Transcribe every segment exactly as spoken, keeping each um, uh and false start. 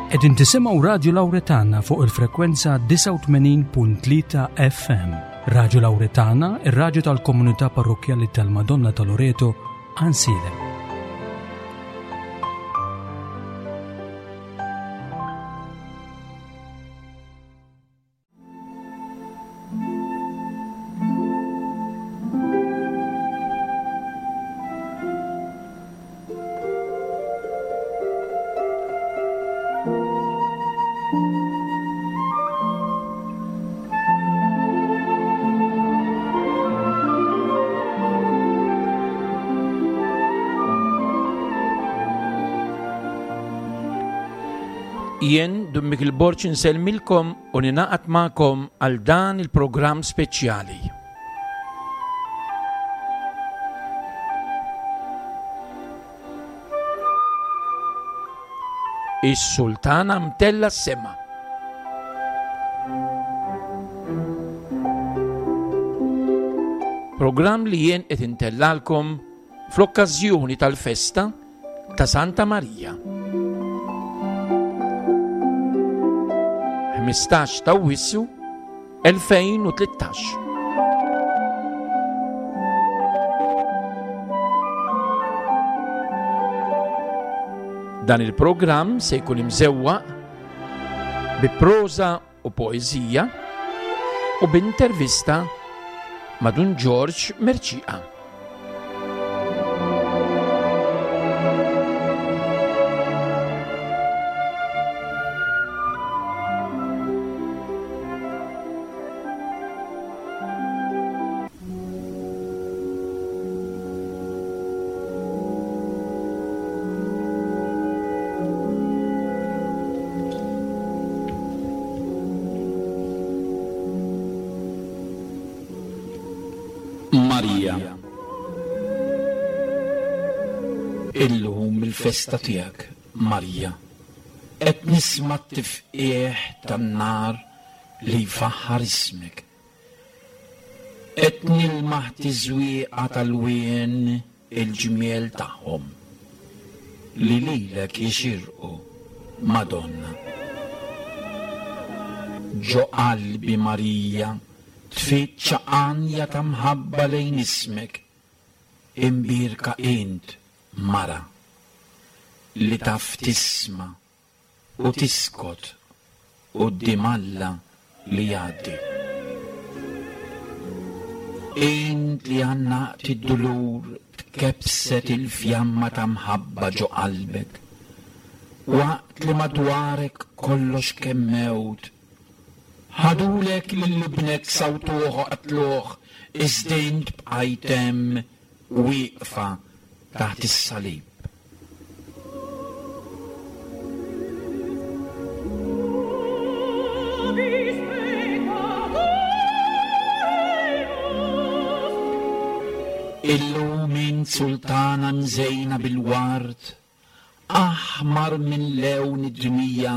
Qegħdin tisimgħu Radju Lawretana fuq il-frekwenza disgħa u tmenin punt tlieta F M. Radju Lawretana, ir-radju tal-komunità parrokkjali tal-Madonna ta' Loreto, Għajnsielem. Jien Dun Mikiel Borg insellmilkom u ninaqat magħkom għal dan il-programm speċjali. Is-Sultana mtella s-sema. Programm li jien qed intellalkom fl-okkażjoni tal-festa ta' Santa Marija. Ħmistax ta' Awwissu elfejn u tlettax. Dan il-programm se jkun imżewwaq bi proża u poeżija u b'intervista ma' Dun Ġorġ Mercieca. Marija, illum il-festa tiegħek, Marija, qed nisma' t-tifqigħ tan-nar li jfaħħar ismek. Qed nilmaħ tiżwieqa tal-wien il-ġmiel tagħhom li lilek jixirqu, Madonna. Ġo qalbi Marija tfittxa għanja ta' mħabba lejn ismek, imbierka int, mara, li taf tisma' u tiskot quddiem Alla li jgħaddi. Int li għannaqt id-dulur tkebbset il-fjamma ta' mħabba ġo qalbek, waqt li madwarek kollox kemm mewt. Ħadulek lil ibnek sawtuh u qatluh, iżda int bqajt hemm wieqfa taħt is-salib. Illum int sultana mżejna bil-ward, aħmar minn lewn id-dmija,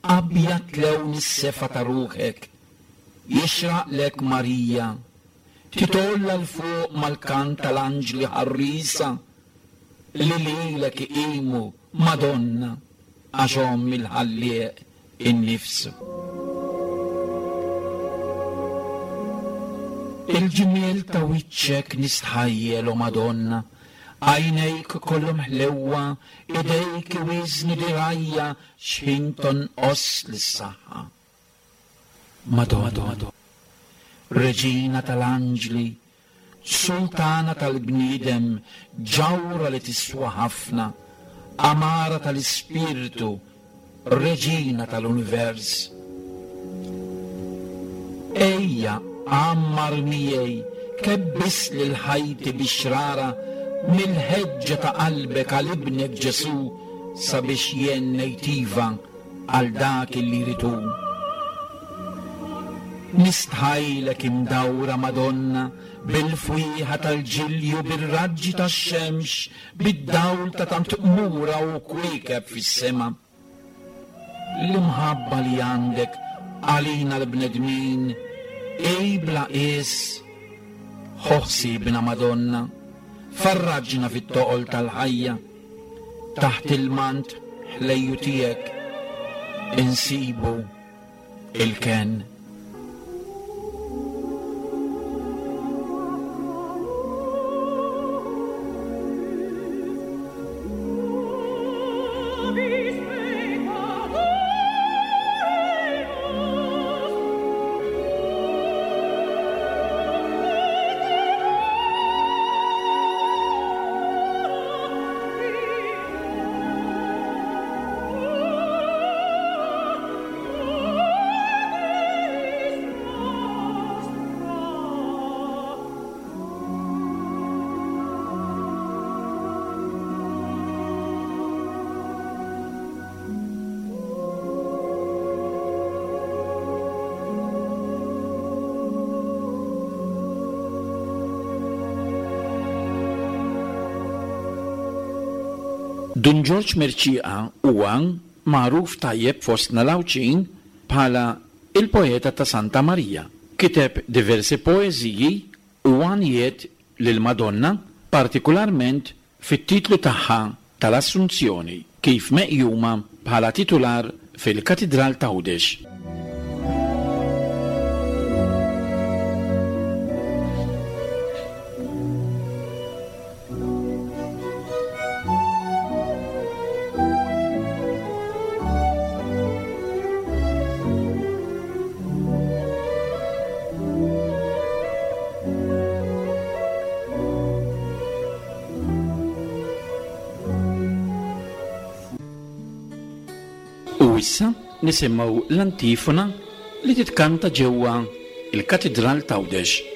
abjad lewn is-sefa ta' ruħek. Jixraqlek Marija, titolla l fuq mal-kant tal-anġli ħarrisa li lilek iqimu, Madonna, għax omm il-ħallieq innifsu. Il-ġmiel ta' wiċċek nistħajjel, o Madonna, għajnejk kollhom ħlewwa, idejk iwiżnu dirgħajja x'ħin tonqos lis-saħħa. Madonna, Reġina tal-anġli, Sultana tal-bniedem, ġawra li tiswa ħafna, amara tal-ispirtu, Reġina tal-univers. Ejja, għammar miegħi, kebbis lil ħajti bix-xrara mill-ħeġġa ta' qalbek għal ibnek Ġesu sabiex jien ngħid iva għal dak li jrid hu. Nistħajlek imdawra Madonna bil-fwieħa tal-ġilju, bir-raġġi tax-xemx, bid-dawl ta' tant qmura u kwiekeb fis-sema. L-imħabba li għandek għalina l-bnedmin ej bla qies. Ħossibna Madonna, farraġna fit-toqol tal-ħajja, taħt il-mant ħlejju tiegħek, insibu il-kenn. Dun Ġorġ Mercieca huwa magħruf tajjeb fostna l-Għawdxin bħala il-poeta ta' Santa Marija. Kiteb diversi poeżiji u għanjiet lil Madonna, partikolarment fit-titlu tagħha tal-Assunzjoni, kif meqjuma bħala titular fil-Katidral ta' Għawdex. U issa nisimgħu l-antifona li titkanta ġewwa il-Katidral ta' Għawdex.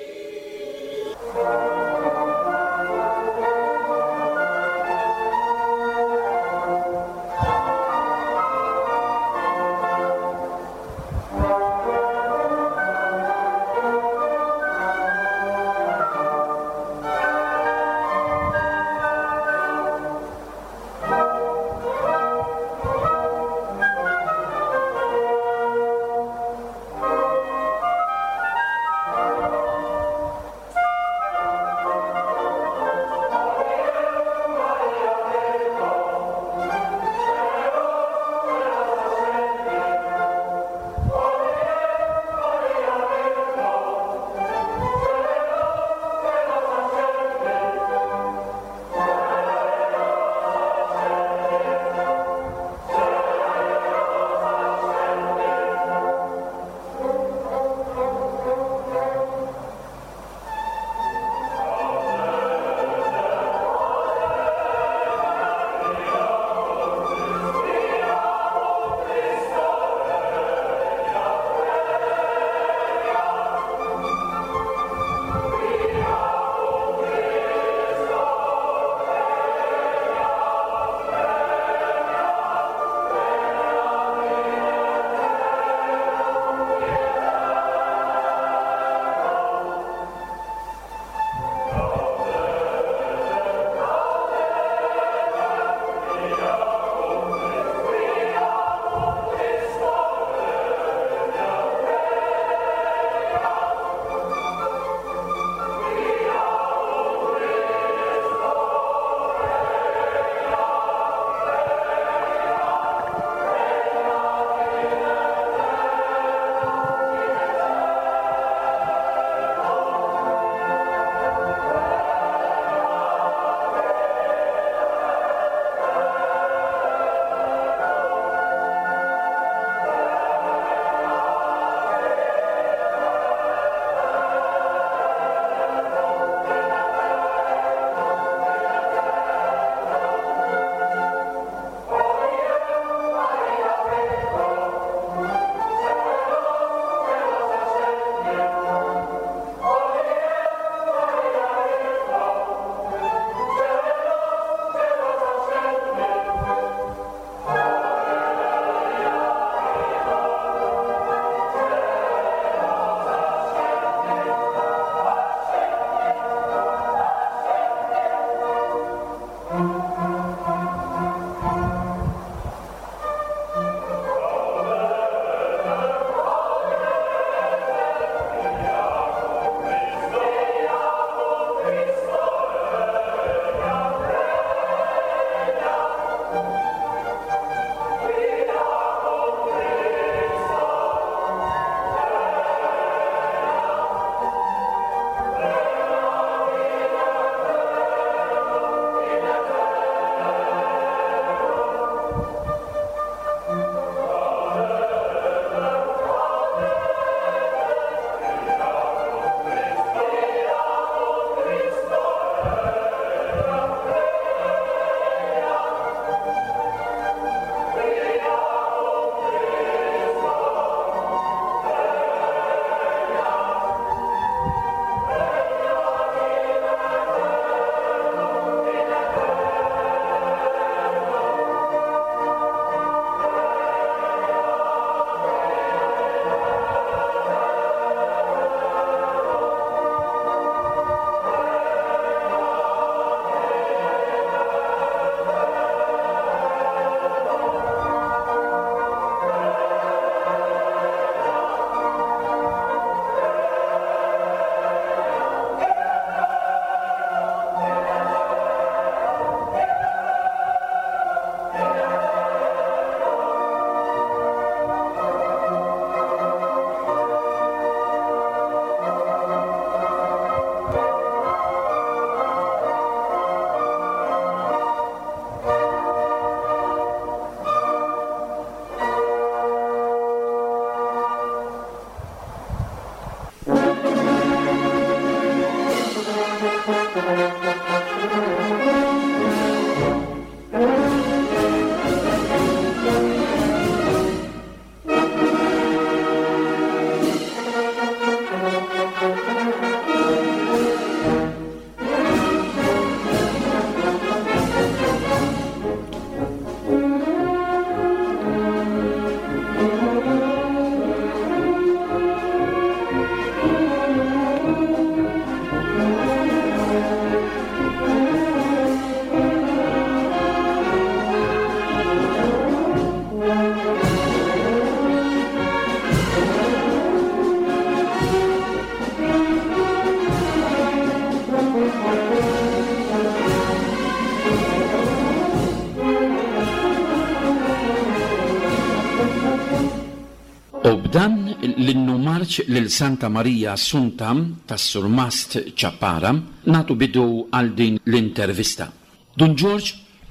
U b'dan l-innu marċ lil Santa Marija Assunta tas-Surmast Ċappara nagħtu bidu għal din l-intervista. Dun Ġorġ,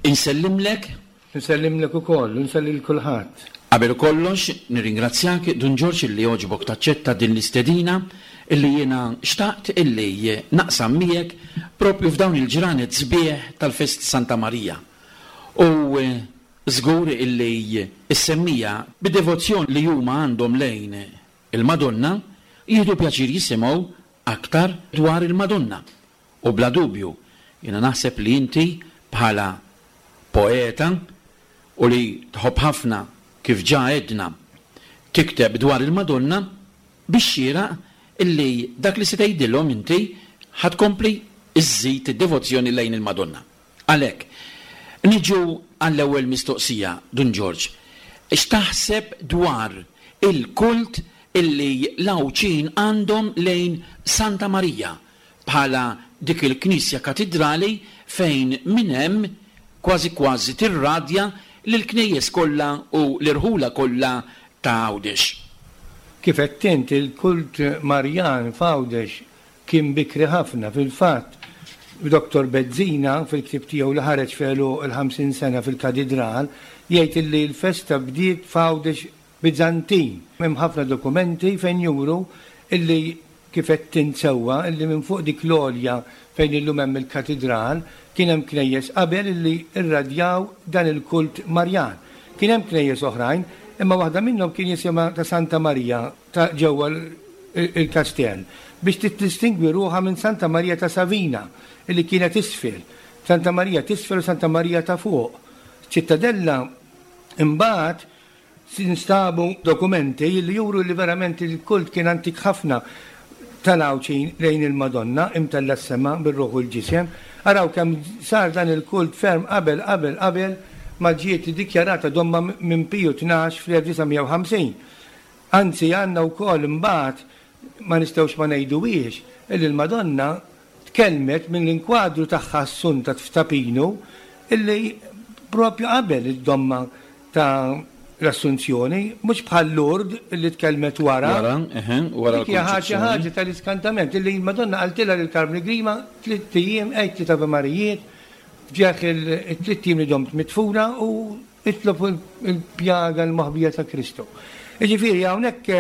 insellimlek. Insellimlek ukoll, insellim kulħadd. Qabel kollox, nirringrazzjak Dun Ġorġ illi għoġbok taċċetta din l-istedina illi jiena xtaqt illi naqsam miegħek propju f'dawn il-ġranet sbieħ tal-fest Santa Marija. U żgur illi s-semmiegħa bid-devozzjoni li huma għandhom lejn il-Madonna jieħdu pjaċir jisimgħu aktar dwar il-Madonna. U bla dubju, jiena naħseb li inti bħala poeta u li tħobb ħafna kif ġa għedna tikteb dwar il-Madonna biex xieraq illi dak li se tgħidilhom inti ħa tkompli iżżid id-devozzjoni lejn il-Madonna. Għalhekk, niġu għall-ewwel mistoqsija, Dun Ġorġ. X'taħseb dwar il-kult illi l-Għawdxin għandhom lejn Santa Marija bħala dik il-Knisja Katidrali fejn minn hemm kważi kważi tirradja lill-knejjes kollha u l-irħula kollha ta' Għawdex? Kif għedt int, il-kult Marjan f'Għawdex kien bikri ħafna. Fil-fatt, Doktor Bezzina, fil-ktieb tiegħu li ħareġ f'għeluq il-ħamsin sena fil-Katidral, jgħid illi l-festa bdiet f'Għawdex Bizantin. Hemm ħafna dokumenti fejn juru illi kif qed int sewwa illi minn fuq dik l-għolja fejn illum hemm il-katidral kien hemm knejjes qabel illi irradjaw dan il-kult Marjan. Kien hemm knejjes oħrajn, imma waħda minnhom kien jisimha ta' Santa Marija ta' ġewwa il-kastell biex tiddistingwi ruħha minn Santa Marija ta' Savina illi kienet isfel. Santa Marija t'isfel u Santa Marija ta' fuq. Ċittadella imbagħad instabu dokumenti li juru li verament il-kult kien antik ħafna tal-Għawdxin lejn il-Madonna imtella s-sema bir-ruħ u l-ġisem. Araw kemm sar dan il-kult ferm qabel qabel qabel ma ġiet dikjarata domma minn Piju tnax fl-elf disa' mija u ħamsin. Anzi għandna wkoll imbagħad ma nistgħux ma ngħiduhiex illi l-Madonna tkellmet minn l-inkwadru tagħha Assunta f'Tapinu illi propju qabel id-domma ta' l-Assunzjoni, mhux bħal Lourdes illi tkellmet wara. Wara, eħe, wara Dik hija ħaġa l-Kunċizzjoni. ħaġa tal-iskantament illi l-Madonna qaltilha lil Karmni Grima tliet ijiem għedt tliet Ave Marijiet f'ġieħ il-tliet ijiem li domt mitfuna u itlob il-pjaga l-moħbija ta' Kristu. Jiġifieri hawnhekk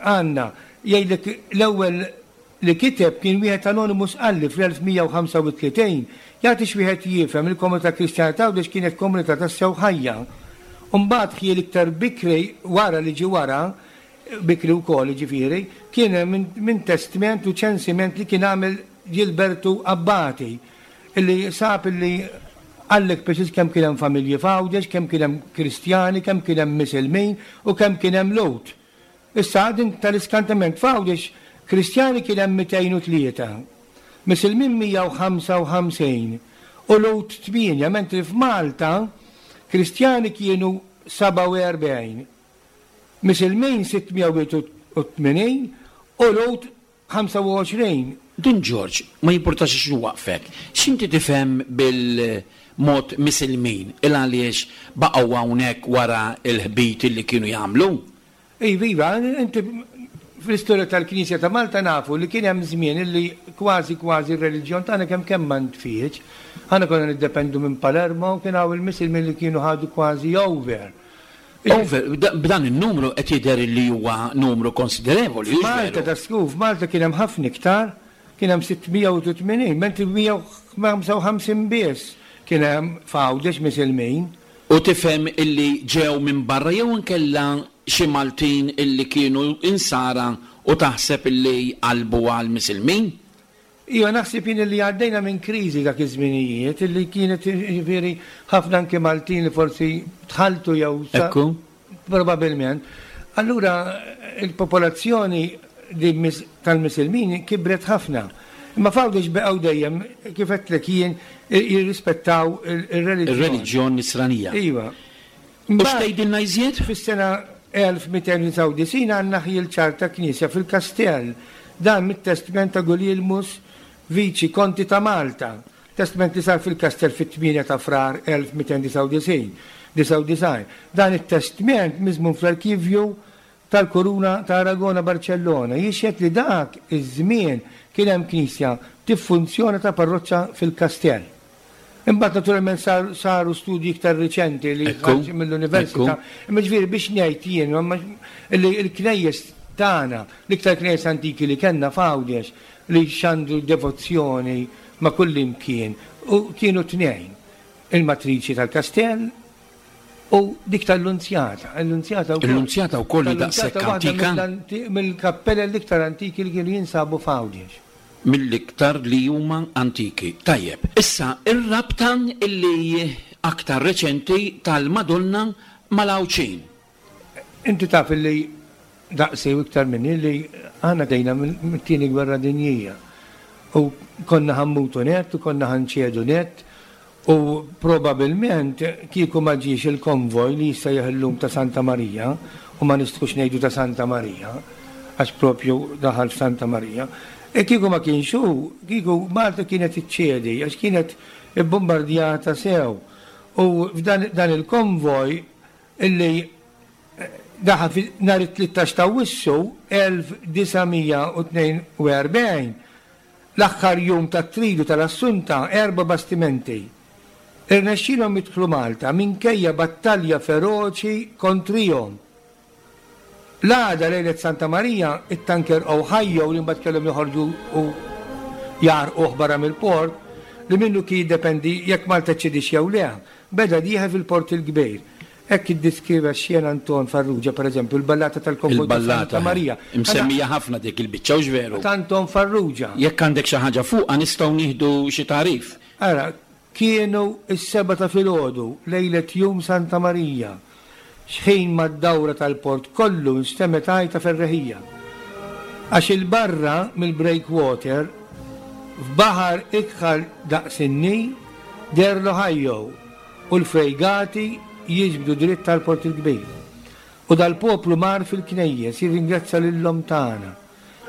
għandna jgħidlek l-ewwel li kiteb kien wieħed anonimus qalli fl-elf mija u ħamsa u tletin, jagħti x'wieħed jifhem il-komunità Kristjana ta' Għawdex kienet komunità tassew ħajja. U mbagħad ħiel iktar bikri wara li ġie wara, bikri wkoll jiġifieri, kien hemm minn, minn testment u ċensiment li kien għamel Gilbertu Abbati, illi sab illi għallek preċiż kemm kien hemm familji f'Għawdex, kemm kien hemm Kristjani, kemm kien hemm Misilmin u kemm kien hemm Lhud. Issa din tal-iskantament f'Għawdex Kristjani kien hemm mitejn u tlieta, Misilmin mija u ħamsa u ħamsin u Lhud tmienja, mentri f'Malta Kristjani kienu seba' u erbgħin, Misilmin sitt mija u tmenin u Lhud ħamsa u għoxrin. Dun Ġorġ, ma jimpurtax x'nwaqfek, x'inti tifhem bil-mod Misilmin il għaliex baqgħu hawnhekk wara l-ħbit li kienu jagħmlu? Iva, iva, inti fl-istorja tal-Knisja ta' Malta nafu li kien hemm żmien illi kważi kważi r-reliġjon tagħna kemm kemm ma ntfietx. Aħna konna niddependu minn Palermo u kien hawn il-Misilmin li kienu ħadu kważi over. Over, b'da-, b'dan in-numru qed jidher li huwa numru konsiderevoli, hux Malta veru? ta' skuf, Malta kien hemm ħafna iktar, kien hemm sitt mija u tmenin, mentri mija u ħamsa u ħamsin biss kien hemm f'Għawdex Misilmin. U tifhem illi ġew minn barra jew inkella xi Maltin illi kienu insara u taħseb illi qalbu għal Misilmin? Iva, naħseb jien illi għaddejna minn kriżi dak iż-żminijiet illi kienet jiġifieri ħafna anke Maltin li forsi tħaltu jew sa- Ekku. Probabilment. Allura il-popolazzjoni di mis-, tal-Misilmin kibret ħafna. Imma f'Għawdex baqgħu dejjem kif għedtlek jien jirrispettaw il-, il-reliġjon. Ir-reliġjon nisranija. Iva. U x'tgħidilna iżjed? Fis-sena elf mitejn u disgħa u disgħin għandna ħjiel ċar ta' knisja fil-Kastell. Dan mit-testment ta' Guglielmus Viċi Konti ta' Malta. Testment li sar fil-Kastell fit-tmienja ta' Frar elf mitejn disgħa u disgħin. Disgħa u disgħin. Dan it-testment miżmum fl-arkivju tal-Kuruna ta' Aragona Barcellona jixhed li dak iż-żmien kien hemm knisja tiffunzjona ta' parroċċa fil-kastell. Imbagħad naturalment saru studji iktar riċenti li mill-università. Imma ġifieri biex ngħid jien li l-knejjes tagħna, l-iktar knejjes antiki li kellna f'Għawdex li xandru devozzjoni ma' kull imkien u kienu tnejn. Il-matriċi tal-kastell u dik tal-Lunzjata. Il-Lunzjata wkoll. Il-Lunzjata wkoll daqshekk antika. Mill-kappella l-iktar antiki li kienu jinsabu f'Għawdex. Mill-iktar li huma antiki. Tajjeb, issa ir-rabta illi aktar reċenti tal-Madonna mal-Għawdxin. Inti taf illi daqsi u iktar minni li aħna dejna mit-tieni gwerra dinjija. U konna ħammutu net u konna ħanċedu net u probabilment kieku ma ġiex il-konvoj li jista' jeħillum ta' Santa Marija u ma nistgħux ngħidu ta' Santa Marija għax propju daħal f'Santa Marija. E kieku ma kienx hu, kieku Malta kienet iċċedi għax kienet ibbombardjata sew. U f'dan dan il-konvoj illi daħal nhar it-tlettax ta' Awwissu elf disa' mija u tnejn u erbgħin, l-aħħar jum tat-tridu tal-Assunta, erba' bastimenti. Irnexxielhom jidħlu Malta minkejja battalja feroċi kontrihom. L-għada lejlet Santa Marija, it-tanker Ohio li mbagħad kellhom joħorġu u jarquh barra mill-port, li minnu kien jiddependi jekk Malta ċedix jew le, beda dieħel fil-port il-kbir. Hekk iddeskriva x-xena Anton Farrugia, per eżempju, il-ballata tal-konvoj ta' Santa Marija. Imsemmija ħafna dik il-biċċa, hux veru? Ta' Anton Farrugia. Jekk għandek xi ħaġa fuqha nistgħu nieħdu xi tagħrif. Ara, kienu s-seba' ta' filgħodu lejlet jum Santa Marija. Xħin mad-dawra tal-port kollu nstemet għajta ferreħija. Għax il-barra mill-breakwater f'baħar ikħal daqs in-ni der l-Ohio u l-frejgati jiġbdu dritt tal-port il-kbir. U dal-poplu mar fil-knejjes jirringrazzja lil-lom tagħna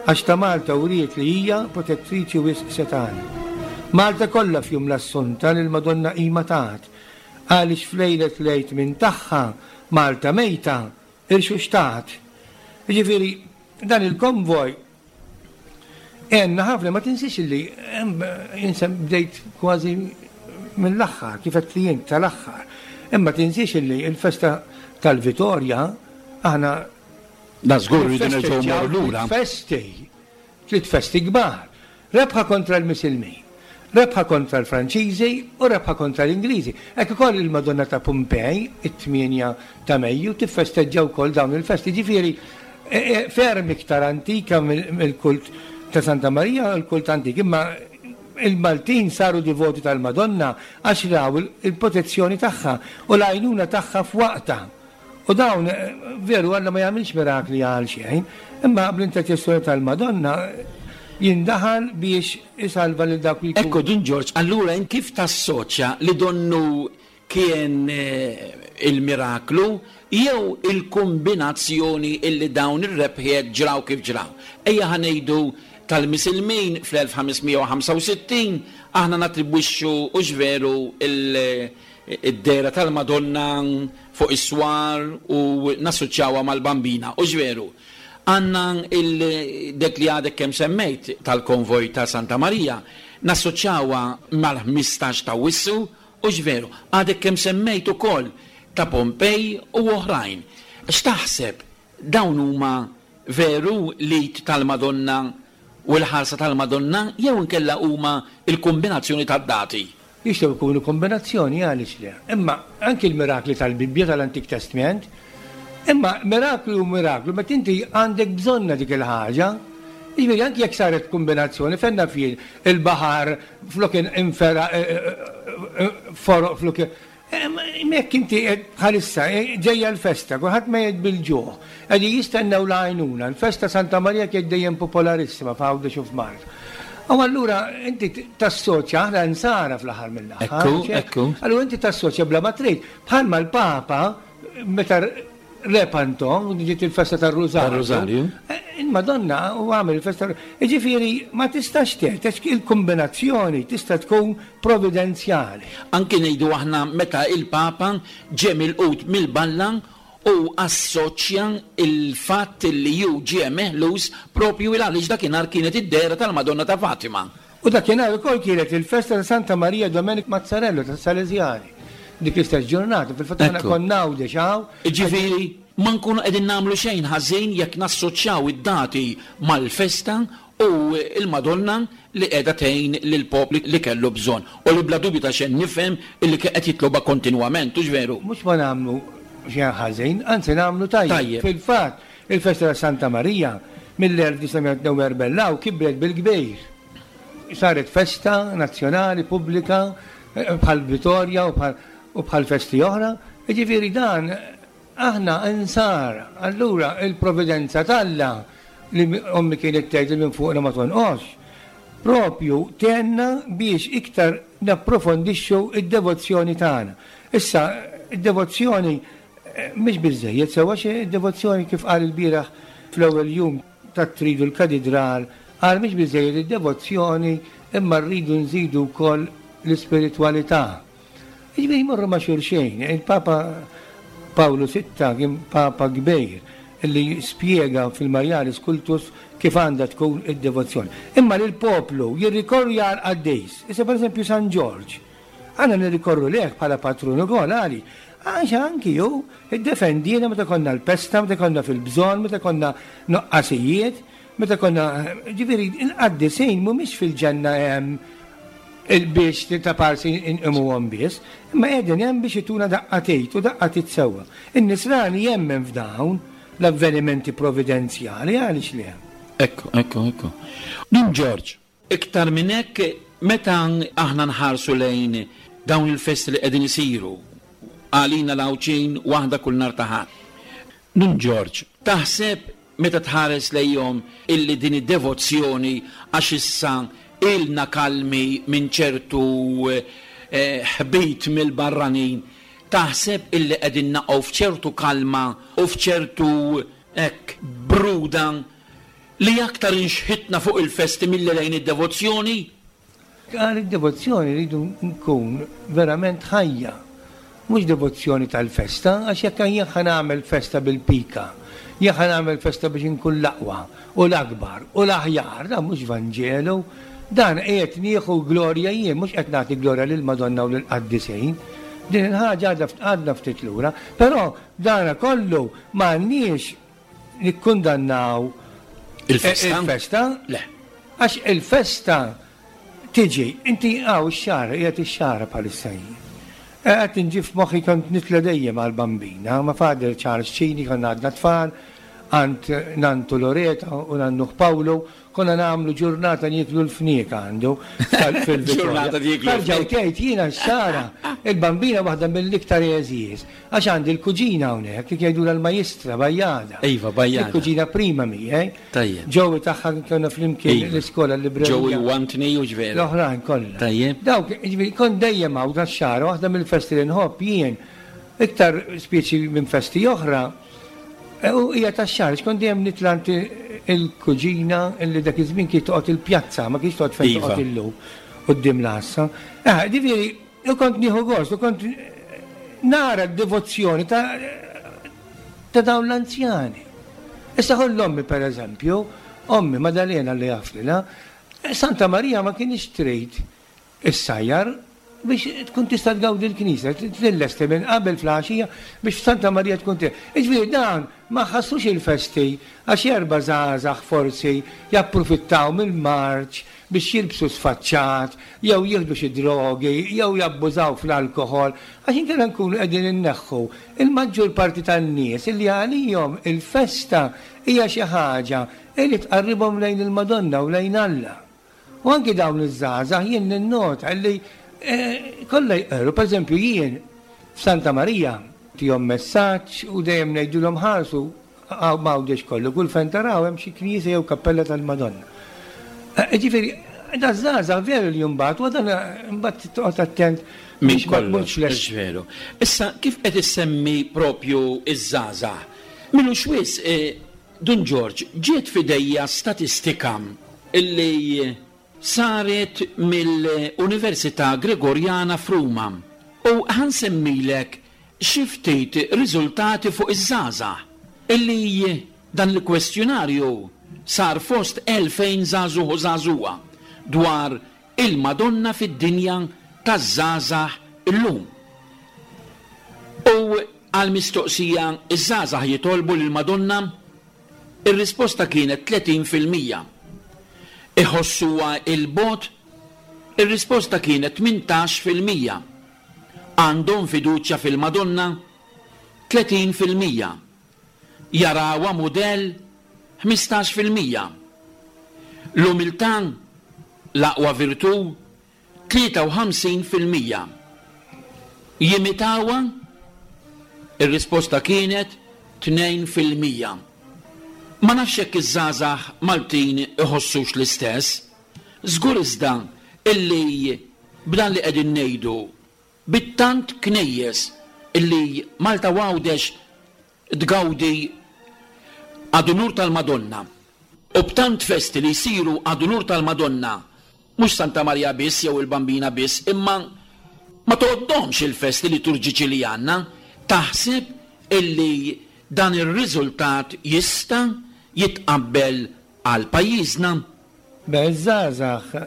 għax ta' Malta wriet li hija protettriċi wisq setana. Malta kollha f'jum l-Assunta lil Madonna qima tat għaliex f'lejlet lejt minn tagħha Malta mejta irxuxtat. Jiġifieri dan il-konvoj għenna ħafna, ma tinsiex illi insem bdejt kważi mill-aħħar, kif qed li jien tal-aħħar. Imma tinsiex illi il-festa tal-Vitorja aħna da żgur rridu nerġgħu mmorru lura. Festi, tliet festi kbar. Rebħa kontra l-Misilmin, rebħa kontra l-Franċiżi u rebħa kontra l-Ingliżi. Hekk ukoll il-Madonna ta' Pompej, it-tmienja ta' Mejju, tiffesteġġa wkoll dawn il-festi. Ġifieri ferm iktar antika mill-kult ta' Santa Marija, il-kult antik, imma il-Maltin saru divoti tal-Madonna għax raw il-protezzjoni tagħha u l-għajnuna tagħha f'waqta. U dawn, veru, Alla ma jagħmilx mirakli għal xejn, imma bl-interċessjoni tal-Madonna jindaħal biex isalva lil dak li jkun. Ekku, Dun Ġorġ, allura in kif tassoċja li donnu kien il-miraklu jew il-kombinazzjoni illi dawn ir-rebħiet ġraw kif ġraw? Ejja ħanejdu tal-Misilmin fl-elf ħames mija u ħamsa u sittin aħna natribwixxu u x'veru id-dera tal-Madonna fuq is-swar u nassoċjawha mal-Bambina u x'veru. Għanna il-dek li għadek kemm semmejt tal-konvoj ta' Santa Marija nassoċjawha mal-ħmistax ta' Awwissu u x'veru. Għadek kemm semmejt ukoll ta' Pompej u oħrajn. X'taħseb dawn huma veru lit tal-Madonna u l-ħarsa tal-Madonna jew inkella huma il-kombinazzjoni tad-dati? Jistgħu jkunu kombinazzjoni, għaliex le. Imma anki l-mirakli tal-Bibbja tal-Antik Testament, imma miraklu u miraklu, meta inti għandek bżonna dik il-ħaġa, jiġifieri anki jekk saret kombinazzjoni, fenna fil il-baħar flok infera, eh, eh, eh, foroq flok jekk inti bħalissa ġejja l-festa, kulħadd mejjed bil-ġuħ, qegħdin jistennew l-għajnuna, l-festa Santa Marija kienet dejjem popolarissima f'Għawdex u f'Malta. U allura inti tassoċja, aħna nsara fl-aħħar mill-aħħar, Ekku, mhux hekk? ekku. Allura inti tassoċja bla ma trid, bħalma l-Papa meta Lepanto, ġiet il-festa tar-Rużarju. Tar-Rużarju. Eh, il-Madonna u għamel il-festa. Jiġifieri ma tistax tgħid, għax il-kombinazzjoni tista' tkun providenzjali. Anki ngħidu aħna meta il-Papa ġie milqut mill-balla u assoċja il-fatt li ju ġie meħlus propju il għaliex dakinhar kienet id-dehra tal-Madonna ta' Fatima. U dakinhar ukoll kienet il-festa ta' Santa Maria Domenic Mazzarello ta' Salesiani. Dik l-istess ġurnata, fil-fatt aħna konna Għawdex hawn. Ġifieri ma nkunu qegħdin nagħmlu xejn ħażin jekk nassoċjaw id-dati mal-festa u il-Madonna li qiegħda tgħin lill-popli li kellu bżonn u li bla dubju ta' xejn nifhem illi qed jitloba kontinwament, hux veru? Mhux ma nagħmlu xejn ħażin, anzi nagħmlu tajjeb. Fil-fatt, il-festa ta' Santa Marija mill-elf disa' mija tnejn u erbgħin law kibret bil-kbir. Saret festa nazzjonali pubblika bħal Vittoria u bħal u bħal festi oħra, jiġifieri dan aħna insar. Allura il-providenza t'Alla li ommi kienet tgħid li minn fuqna ma tonqosx, propju tenna biex iktar napprofondixxu id-devozzjoni tagħna. Issa id-devozzjoni mhix biżejjed sewa xi id-devozzjoni kif qal il-bieraħ fl-ewwel jum tat-tridu l-katedral, qal mhix biżejjed id-devozzjoni imma rridu nżidu wkoll l-ispiritwalità. Jiġifieri jmorru ma' xulxejn. Il-Papa Pawlu sitta kien Papa kbir li spjega fil-Marialis Cultus kif għandha tkun id-devozzjoni. Imma lil poplu jirrikorri għal qaddis. Issa pereżempju San Ġorġ. Għandna nirrikorru leh bħala patrun ukoll għali. Għax anki hu iddefendina meta konna l-pesta, meta konna fil-bżonn, meta konna noqqasijiet, meta konna, ġifieri il-qaddisin mhumiex fil-ġenna hemm il-biex ta' parsi inqimuhom biss, imma qegħdin hemm biex ituna daqqatejt u daqqatit sewwa. In-nisrani jemmen f'dawn l-avvenimenti providenzjali, għaliex le? Ekku, ekku, ekku. Dun Ġorġ, iktar minn hekk meta aħna nħarsu lejn dawn il-festi li qegħdin isiru għalina l-Għawdxin waħda kull nhar ta' Ħadd. Dun Ġorġ, taħseb meta tħares lejhom illi din id-devozzjoni għax issa ilna kalmi minn ċertu, eh, ħbit mill-barranin, taħseb illi qegħdin naqgħu f'ċertu kalma u f'ċertu hekk bruda li aktar inxħitna fuq il-festi milli lejn id-devozzjoni? Għal id-devozzjoni rridu nkun verament ħajja, mhux devozzjoni tal-festa, għax jekk jien ħa nagħmel festa bil-pika, jien ħa nagħmel festa biex inkun l-aqwa u l-akbar u l-aħjar, dan mhux Vanġelu, dan qiegħed nieħu glorja jien, mhux qed nagħti glorja lill-Madonna u lill-qaddisin. Din il-ħaġa għadha ft-, għadna ftit lura, però dana kollu m'għandniex nikkundannaw Il-festa? Il-festa? Le. Għax il-festa tiġi, inti għaw ix-xahar, qiegħed ix-xahar bħalissa jien. Qed inġi f'moħħi kont nitla' dejjem għall-Bambina, ma' Father Charles Cini konna għadna tfal, għand Nantu Loreta u Nannuh Pawlu, konna nagħmlu ġurnata nieklu l-fniek għandu tal-, fil-Vittoria. Ġurnata nieklu Tarġaw l-fniek. tgħid jiena x-xara, il-Bambina waħda mill-iktar għeżież, għax għandi l-kuġina hawnhekk, kif jgħidulha l-majistra Bajjada. Iva, Bajjada. Il-kuġina prima miegħi. Tajjeb. Ġewi tagħha konna flimkien Iva. l-iskola l-librerija. Ġewi u Anthony u ġveru. L-oħrajn kollha. Tajjeb. Dawk, jiġifieri, kont dejjem hawn tax-xara, waħda mill-festi li nħobb jien, iktar speċi minn festi oħra, u hija tax-xahar, x'kont dejjem nitla' għand il-kuġina illi dak iż-żmien kien toqgħod il-pjazza, ma kienx toqgħod fejn Iva. toqgħod illum quddiem l-għassa. Eh, ġifieri, u kont nieħu gost, u kont nara d-devozzjoni ta', ta' dawn l-anzjani. Issa ħoll ommi per eżempju, ommi Madalena li jaflila, Santa Marija ma kienx trid issajjar biex tkun tista' tgawdi l-knisja, tillesti minn qabel fl-għaxija biex Santa Marija tkun te-. Jiġifieri dan ma ħassux il-festi għax erba' żgħażagħ forsi japprofittaw mill-marċ biex jilbsu sfaċċat, jew jieħdu xi drogi, jew jabbużaw fl-alkoħol, għax inkella nkunu qegħdin inneħħu il-maġġur parti tan-nies illi għalihom il-festa hija xi ħaġa li tqarribhom lejn il-Madonna u lejn Alla. U anki dawn iż-żgħażagħ jien ninnota li, eh, kollha jqerru, per eżempju jien f'Santa Marija tihom messaġġ u dejjem ngħidulhom ħarsu għaw m'Għawdex kollu, kull fejn taraw hemm xi knisja jew kappella tal-Madonna. Eh, ġifieri, da żgħażagħ veru li mbagħad, u dan mbagħad toqgħod attent Minn biex ma kollox, tmurx lest. mhux veru. Issa kif qed issemmi propju iż-żgħażagħ? Minux wis, eh, Dun Ġorġ, ġiet f'idejja statistika illi saret mill-Università Gregoriana f'Ruma. U ħansemmilek xi ftit riżultati fuq iż-żgħażagħ illi dan il-kwestjonarju sar fost elfejn żagħżugħ u żagħżugħa dwar il-Madonna fid-dinja taż-żgħażagħ illum. U għal mistoqsija iż-żgħażagħ jitolbu lill-Madonna, ir-risposta kienet tletin fil-mija. Iħossuha il-bogħod, ir-risposta kienet tmintax fil-mija. Għandhom fiduċja fil-Madonna, tletin fil-mija. Jarawha mudell, ħmistax fil-mija. L-umiltà, l-aqwa virtù, tlieta u ħamsin fil-mija. Jimitawha, ir-risposta kienet tnejn fil-mija. Ma nafx jekk iż-żgħażagħ Maltin iħossux l-istess, żgur iżda illi b'dan li qegħdin ngħidu bit-tant knejjes illi Malta u Għawdex tgawdi ad unur tal-Madonna u b'tant festi li jsiru ad unur tal-Madonna, mhux Santa Marija biss jew il-Bambina biss, imma ma tgħoddhomx il-festi liturġiċi li għandna, taħseb illi dan ir-riżultat jista' jitqabbel għal pajjiżna? Beh, iż-żgħażagħ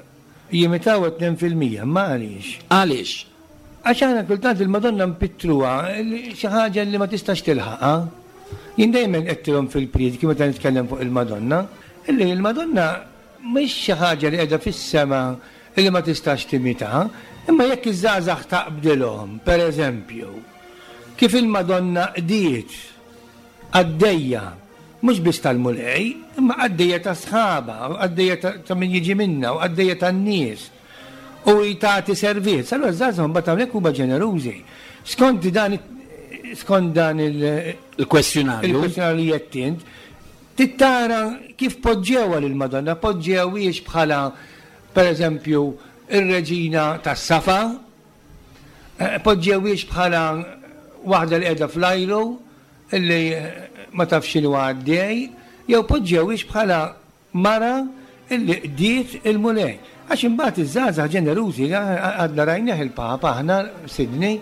jimitaw tnejn fil-mija, ma għaliex? Għaliex? Għax aħna kultant il-Madonna npittruha xi ħaġa li ma tistax tilħaqha. Jien dejjem għedtilhom fil-priedki meta nitkellem fuq il-Madonna, illi il-Madonna mhix xi ħaġa li qiegħda fis-sema illi ma tistax timitaha, imma jekk iż-żgħażagħ taqbdilhom, pereżempju, kif il-Madonna qdiet qaddejja, mhux biss tal-Mulej, imma qaddejja ta' sħaba, qaddejja ta', ta' min jiġi minna, u qaddejja tan-nies. U jtati servizz. Allura ż-żgħażagħ mbagħad hawnhekk huma ġenerużi. Skont dan skont dan il- Il-kwestjonarju. Il-kwestjonarju li qed int, tittara kif poġġewha lill-Madonna, poġġewhiex bħala pereżempju ir-reġina tas-Safa, eh, poġġewhiex bħala waħda li qiegħda fl-ajru illi ma tafx x'inhu għaddej, jew poġġewhiex bħala mara illi qdiet il-Mulej. Għax imbagħad iż-żgħażagħ ġenerużi, għadna rajnieh il-Papa aħna Sydney,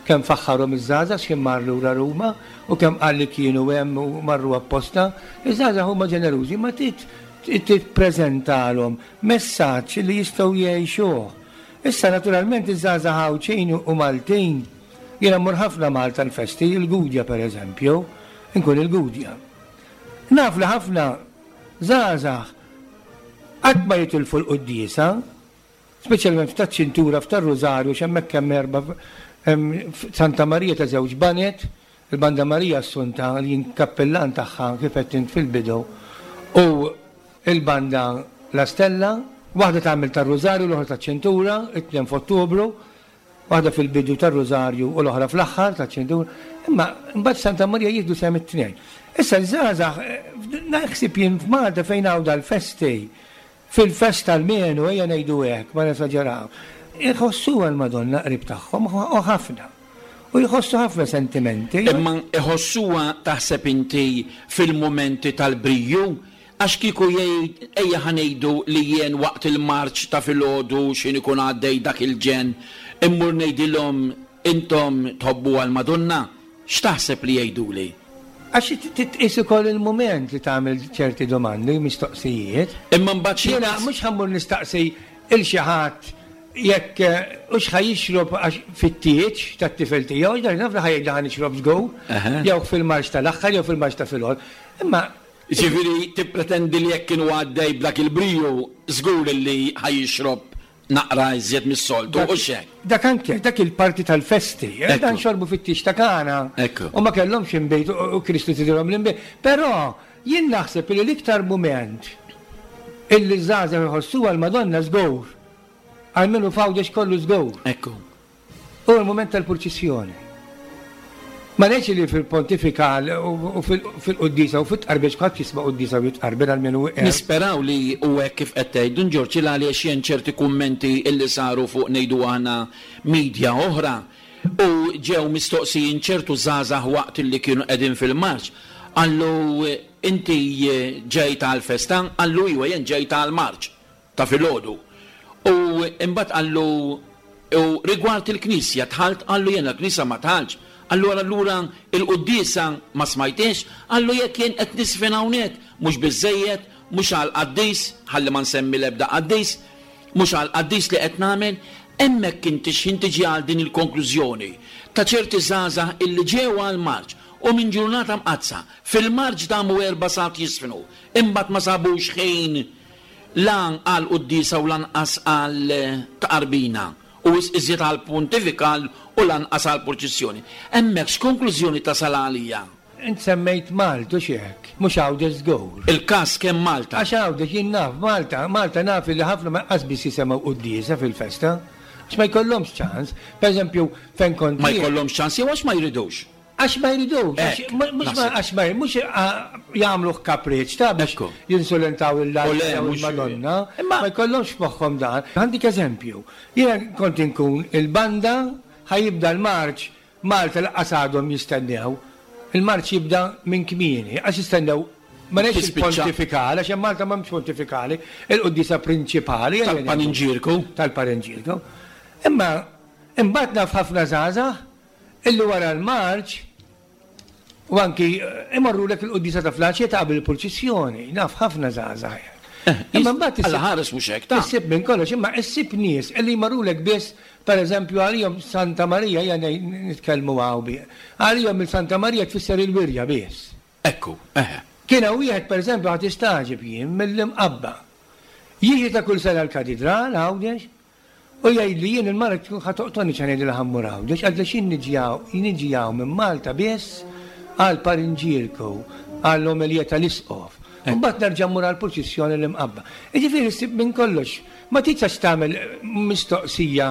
kemm faħħarhom iż-żgħażagħ x'kien mar lura Ruma u kemm qal li kienu hemm u marru apposta. Iż-żgħażagħ huma ġenerużi, ma tit tippreżentalhom messaġġ li jistgħu jgħixuh. Issa naturalment iż-żgħażagħ Għawdxin u Maltin, jiena mmur ħafna Malta l-festi, il-Gudja pereżempju, inkun il-Gudja. Naf li ħafna żgħażagħ qatt ma jitilfu l-quddiesa, speċjalment f'taċ-ċintura f'tar-Rużarju, x'hemmhekk hemm erba' hemm Santa Marija ta' żewġ banet, il-Banda Marija Assunta li jien kappellan tagħha kif qed int fil-bidu, u il-Banda La Stella, waħda tagħmel tar-Rużarju, l-oħra taċ-ċintura, it-tnejn f'Ottubru, waħda fil-bidu tar-Rużarju u l-oħra fl-aħħar taċ-ċintura, imma mbagħad Santa Marija jieħdu sehem it-tnejn. Issa l-żgħażagħ, naħseb jien f'Malta fejn hawn dal-festi, fil-festa almenu, ejja ngħidu hekk, ma nesaġeraw, iħossuha l-Madonna qrib tagħhom u ħafna. U jħossu ħafna sentimenti. Imma iħossuha taħseb inti fil-momenti tal-briju, għax kieku jgħid ejja ħa ngħidu li jien waqt il-marċ ta' filgħodu x'in ikun għaddej dak il-ġen, immur ngħidilhom intom tħobbu għall-Madonna, x'taħseb li jgħiduli? Għax titqis ukoll il-mument li tagħmel ċerti domandi, mistoqsijiet. Imma mbagħad xi Jiena mhux ħammur nistaqsi il xi ħadd jekk hux ħa jixrob għax fit-tieġ tat-tifel tiegħu, dak naf li ħa jgħid ħa nixrob żgur, Eħe. jew fil-marċ tal-aħħar jew fil-marċ ta' filgħodu. Imma Ġifieri tippretendi li jekk kienu għaddej b'dak il-briju żgur li ħa jixrob naqra iżjed mis-soltu, Dak u xek. Dak anke, dak il-parti tal-festi, eh, Ekku. dan xorbu fit-tieġ ta' Kana. Ekku. U ma kellhomx inbejt u, u Kristu tidilhom l-inbejt. Però jien naħseb li l-iktar mument illi żgħażagħ iħossuha l-Madonna żgur. Almenu f'Għawdex kollu żgur. Ekku. U l-mument tal-purċissjoni. Ma ngħidx li fil-pontifikal u, u fil-, fil-quddisa u fit-tqarbiex kulħadd jisma' quddisa u jitqarbel almenu hekk. Nisperaw li u hekk kif qed tgħid, Dun Ġorġ, il għaliex jien ċerti kummenti illi saru fuq ngħidu aħna media oħra u ġew mistoqsijin ċertu żgħażagħ waqt illi kienu qegħdin fil-marċ. Qallu inti ġejt għall-festa, qallu iwa jien ġejt għall-marċ ta' filgħodu. U imbagħad qallu u rigward il-knisja dħalt, qallu jiena l-knisja ma dħaltx. Allura allura il-quddiesa ma smajtiex, qallu jekk jien qed nisfen hawnhekk, mhux biżejjed, mhux għal qaddis, ħalli ma nsemmi l-ebda qaddis, mhux għal qaddis li qed nagħmel, hemmhekk inti x'ħin tiġi għal din il-konklużjoni ta' ċerti żgħażagħ illi ġew għal marċ u minn ġurnata mqaddsa fil-marċ damu erba' sigħat jisfnu, imbagħad ma sabux ħin la għal quddiesa u lanqas għal tqarbina u iżjed għal pontifikal u lanqas għal purċissjoni. Hemmhekk x'konklużjoni tasal għalija? Int semmejt Malta xi hekk, mhux Għawdex żgur. Il-każ kemm Malta. Għax Għawdex jien naf Malta, Malta naf li ħafna ma qas biss jisemgħu quddiesa fil-festa. Għax ma jkollhomx ċans. Per eżempju, fejn kont Ma jkollhomx ċans jew għax ma jridux. Għax ma jridux, mhux għax ma mhux jagħmluh kapriċ ta' biex jinsulentaw il-Alla jew il-Madonna. Ma jkollhomx f'moħħhom dan. Għandik eżempju. Jiena kont inkun il-banda ħa jibda l-marċ, Malta lanqas għadhom jistennew. Il-marċ jibda minn kmieni, għax jistennew ma ngħidx il-pontifikali, għax hemm Malta m'hemmx pontifikali, il-quddiesa prinċipali. Tal-Paninġirku. Tal-Paninġirku. Imma imbagħad naf ħafna żgħażagħ illi wara l-marċ u anki imorrulek il-quddiesa ta' flaċiet qabel il-purċissjoni, naf ħafna żgħażagħ. Imma mbagħad Alla ħares mhux hekk ta' issib minn kollox, imma issib nies illi jmorrulek biss, pereżempju għalihom Santa Marija, hija nitkellmu hawn bi. Għalihom il-Santa Marija tfisser il-wirja biss. Ekku, eħe. Kien hawn wieħed pereżempju ħadd istaġib jien mill-Imqabba. Jiġi ta' kull sena l-katidral Għawdex u jgħidli jien il-mara tkun ħa toqtolni x'għan ngħidilha ħa mmur Għawdex, għaliex jien niġi hawn minn Malta biss għal Parinġirku, għall-omelija tal-Isqof. Mbagħad nerġa' mmur għall-purċissjoni l-Imqabba. Jiġifieri ssib minn kollox. Ma tistax tagħmel mistoqsija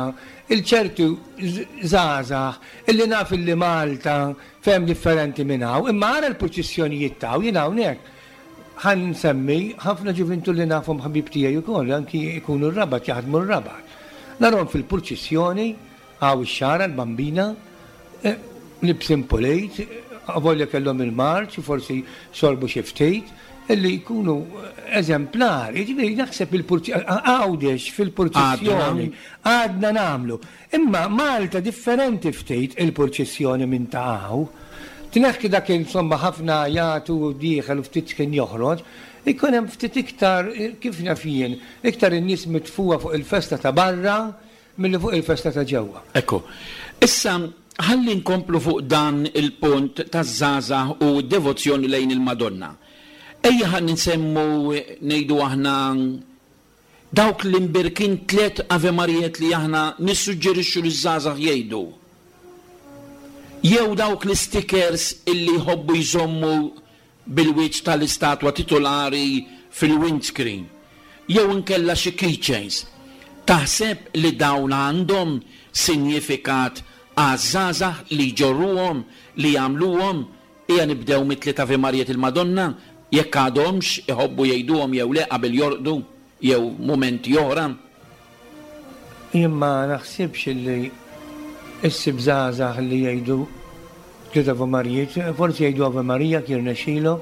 il ċertu żgħażagħ illi naf illi Malta fehem differenti minn hawn, imma ara l-purċissjonijiet taw jien hawnhekk. Ħa nsemmi ħafna ġuvintu li nafhom ħabib tiegħi wkoll, anki jkunu r-Rabat, jaħdmu r-Rabat. Narhom fil-purċissjoni hawn ix-xara l-bambina, libsin pulejt, avolja kellhom il-marċ u forsi xorbu xi ftit, illi jkunu eżemplari. Ġifieri naħseb il-Għawdex fil-purċissjoni għadna nagħmlu. Imma Malta differenti ftit il-purċissjoni minn ta' hawn. Tneħħi dak insomma ħafna jagħtu dieħel u ftit kien joħroġ, ikun hemm ftit iktar kif naf jien, iktar in-nies mitfuha fuq il-festa ta' barra milli fuq il-festa ta' ġewwa. Ekku. Issa ħalli nkomplu fuq dan il-punt taż-żgħażagħ u d-devozzjoni lejn il-Madonna. Ejja ħalli nsemmu ngħidu aħna dawk l-imbirkin tliet Ave Marijiet li aħna nissuġġerixxu liż-żgħażagħ jgħidu. Jew dawk l-stickers illi jħobbu jżommu bil-wiċċ tal-istatwa titolari fil-windscreen. Jew inkella xi keychains. Taħseb li dawn għandhom sinjifikat għaż-żgħażagħ li jġorruhom, li jagħmluhom? Ejja nibdew mit-tliet Ave Marijiet il-Madonna, jekk għadhomx iħobbu jgħiduhom jew le qabel jorqdu jew mumenti oħra. Jien ma naħsibx li issib żgħażagħ li jgħidu tliet Ave Marijiet, forsi jgħidu Ave Marija kien rnexxielu.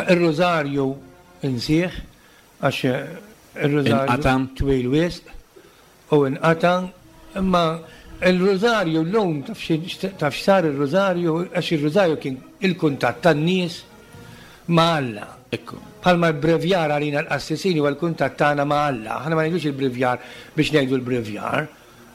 Ir-Rożarju insih għax ir-Rożarju twil wisq u inqata', imma il-Rożarju llum taf x'sar ir-Rożarju, għax ir-Rożarju kien il-kuntatt tan-nies ma' Alla. Ekku. Bħalma l-brevjar għalina l-qassisini huwa l-kuntatt tagħna ma' Alla. Aħna ma ngħidux il-brevjar biex ngħidu l-brevjar.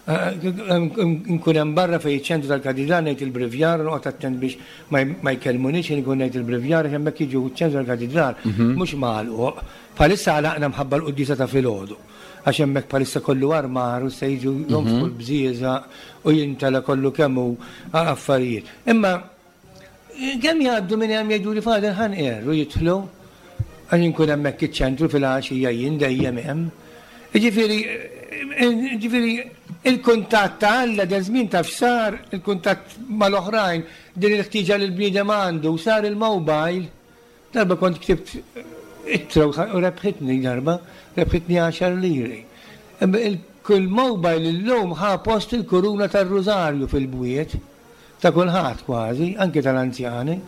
Nkun hemm barra fejn iċ-ċentru tal-katidral ngħid il-brevjar, noqgħod attent biex ma jkellmunix inkun ngħid il-brevjar għax hemmhekk jiġu ċ-ċentru tal-katidral mhux magħluq. Bħalissa għalaqna mħabba l-quddiesa ta' filgħodu. Għax hemmhekk bħalissa kollu armar u se jiġu jonfqu l-bżieżaq u jintela kollu kemm hu affarijiet. Imma kemm jgħaddu minn hemm jgħidu li Father ħanqer u jidħlu għax inkun hemmhekk iċ-ċentru fil-għaxija jien dejjem hemm. Jiġifieri jiġifieri il-kuntatt ta' Alla dan żmien taf x'sar, il-kuntatt mal-oħrajn, din il-ħtieġa li l-bniedem għandu, sar il-mobile. Darba kont ktibt ittra u rebħitni darba, rebħitni għaxar liri. Il-mobile illum ħa post il-kuruna tar-Rużarju fil-bwiet ta' kulħadd kważi, anke tal-anzjani.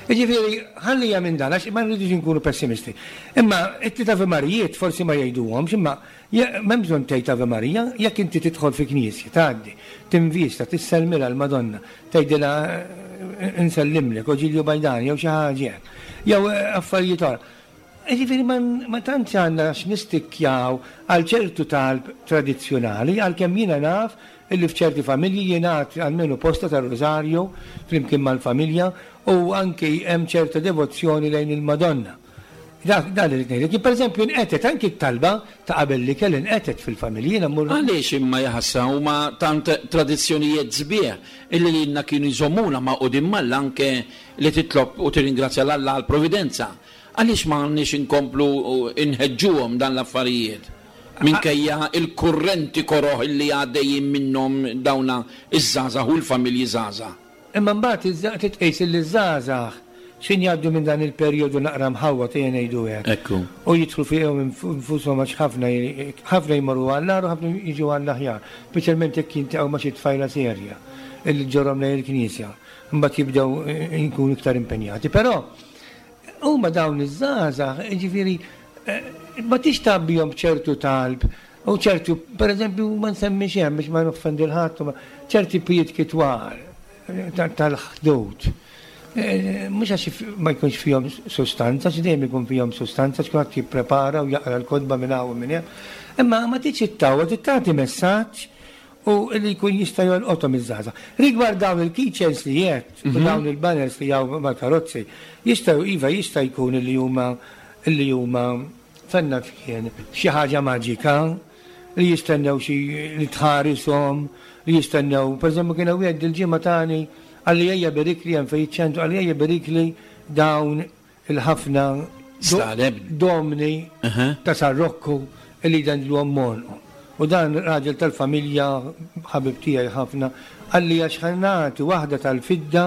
Jiġifieri, ħallija minn dan, għax ma rridux nkunu pessimisti. Imma it-tliet Ave Marijiet forsi ma jgħiduhomx, imma m'hemm bżonn tgħid Ave Marija, jekk inti tidħol fi knisja, tgħaddi, tinvista, tisselmilha l-Madonna, tgħidilha nsellimlek, o Ġilju Bajdani, jew xi ħaġa hekk, jew affarijiet oħra. Jiġifieri ma tantx għandna x'nistikkjaw għal ċertu talb tradizzjonali, għalkemm jiena naf illi f'ċerti familji jingħad almenu posta tar-Rożarju flimkien mal-familja u anki hemm ċerta devozzjoni lejn il-Madonna. Dak dan li ngħidlek. Jien pereżempju nqetet anki t-talba ta' qabel l-ikel inqetet fil-familji jiena mmur. Għaliex imma jaħasra huma tant tradizzjonijiet sbieħ illi lilna kienu jżommuna magħqudin m'Alla anke li titlob u tirringrazzja 'l Alla għall-providenza. Għaliex ma għandniex inkomplu nħeġġuhom dan l-affarijiet minkejja l-kurrenti koroh illi għaddejjin minnhom dawna ż-żgħażagħ u l-familji żgħażagħ? Imma mbagħad trid tqis illi ż-żgħażagħ x'ħin jgħaddu minn dan il-perjodu naqra mħawwad ejja ngħidu hekk. Ekku. U jidħlu fihom infushom għax ħafna ħafna jmorru għall-agħar u ħafna jiġu għall-aħjar, speċjalment jekk jiltaqgħu ma' xi tfajla serja illi ġġorrhom lejn il-knisja. Imbagħad jibdew jkunu iktar impenjati. Però huma dawn iż-żgħażagħ, jiġifieri ma tix tgħabbihom b'ċertu talb u ċertu, pereżempju, ma nsemmi xejn biex ma noffendi 'l ħadd, ċerti prietki twal tal-ħdud. Mhux għax ma jkunx fihom sustanza, xi dejjem ikun fihom sustanza, għax kulħadd jipprepara u jaqra l-kotba minn hawn u minn hemm. Imma ma tridx ittawwa, trid tagħti messaġġ u li jkun jista' jolqothom iż-żgħażagħ. Rigward dawn il-keychains li għedt u dawn il-banners li hawn mal-karozzi, jistgħu iva jista' jkun li huma li huma fenna f'kien xi ħaġa maġika li jistennew xi li tħarishom, li jistennew, pereżempju kien hawn wieħed il-ġimgħa tani qalli ejja berikli hemm fejn iċ-ċentru qalli ejja berikli dawn il-ħafna domni ta' San Rokku li jdendluhom m'għonqhom. U dan raġel tal-familja, ħabib tiegħi ħafna, qalli għax ħa nagħti waħda tal-fidda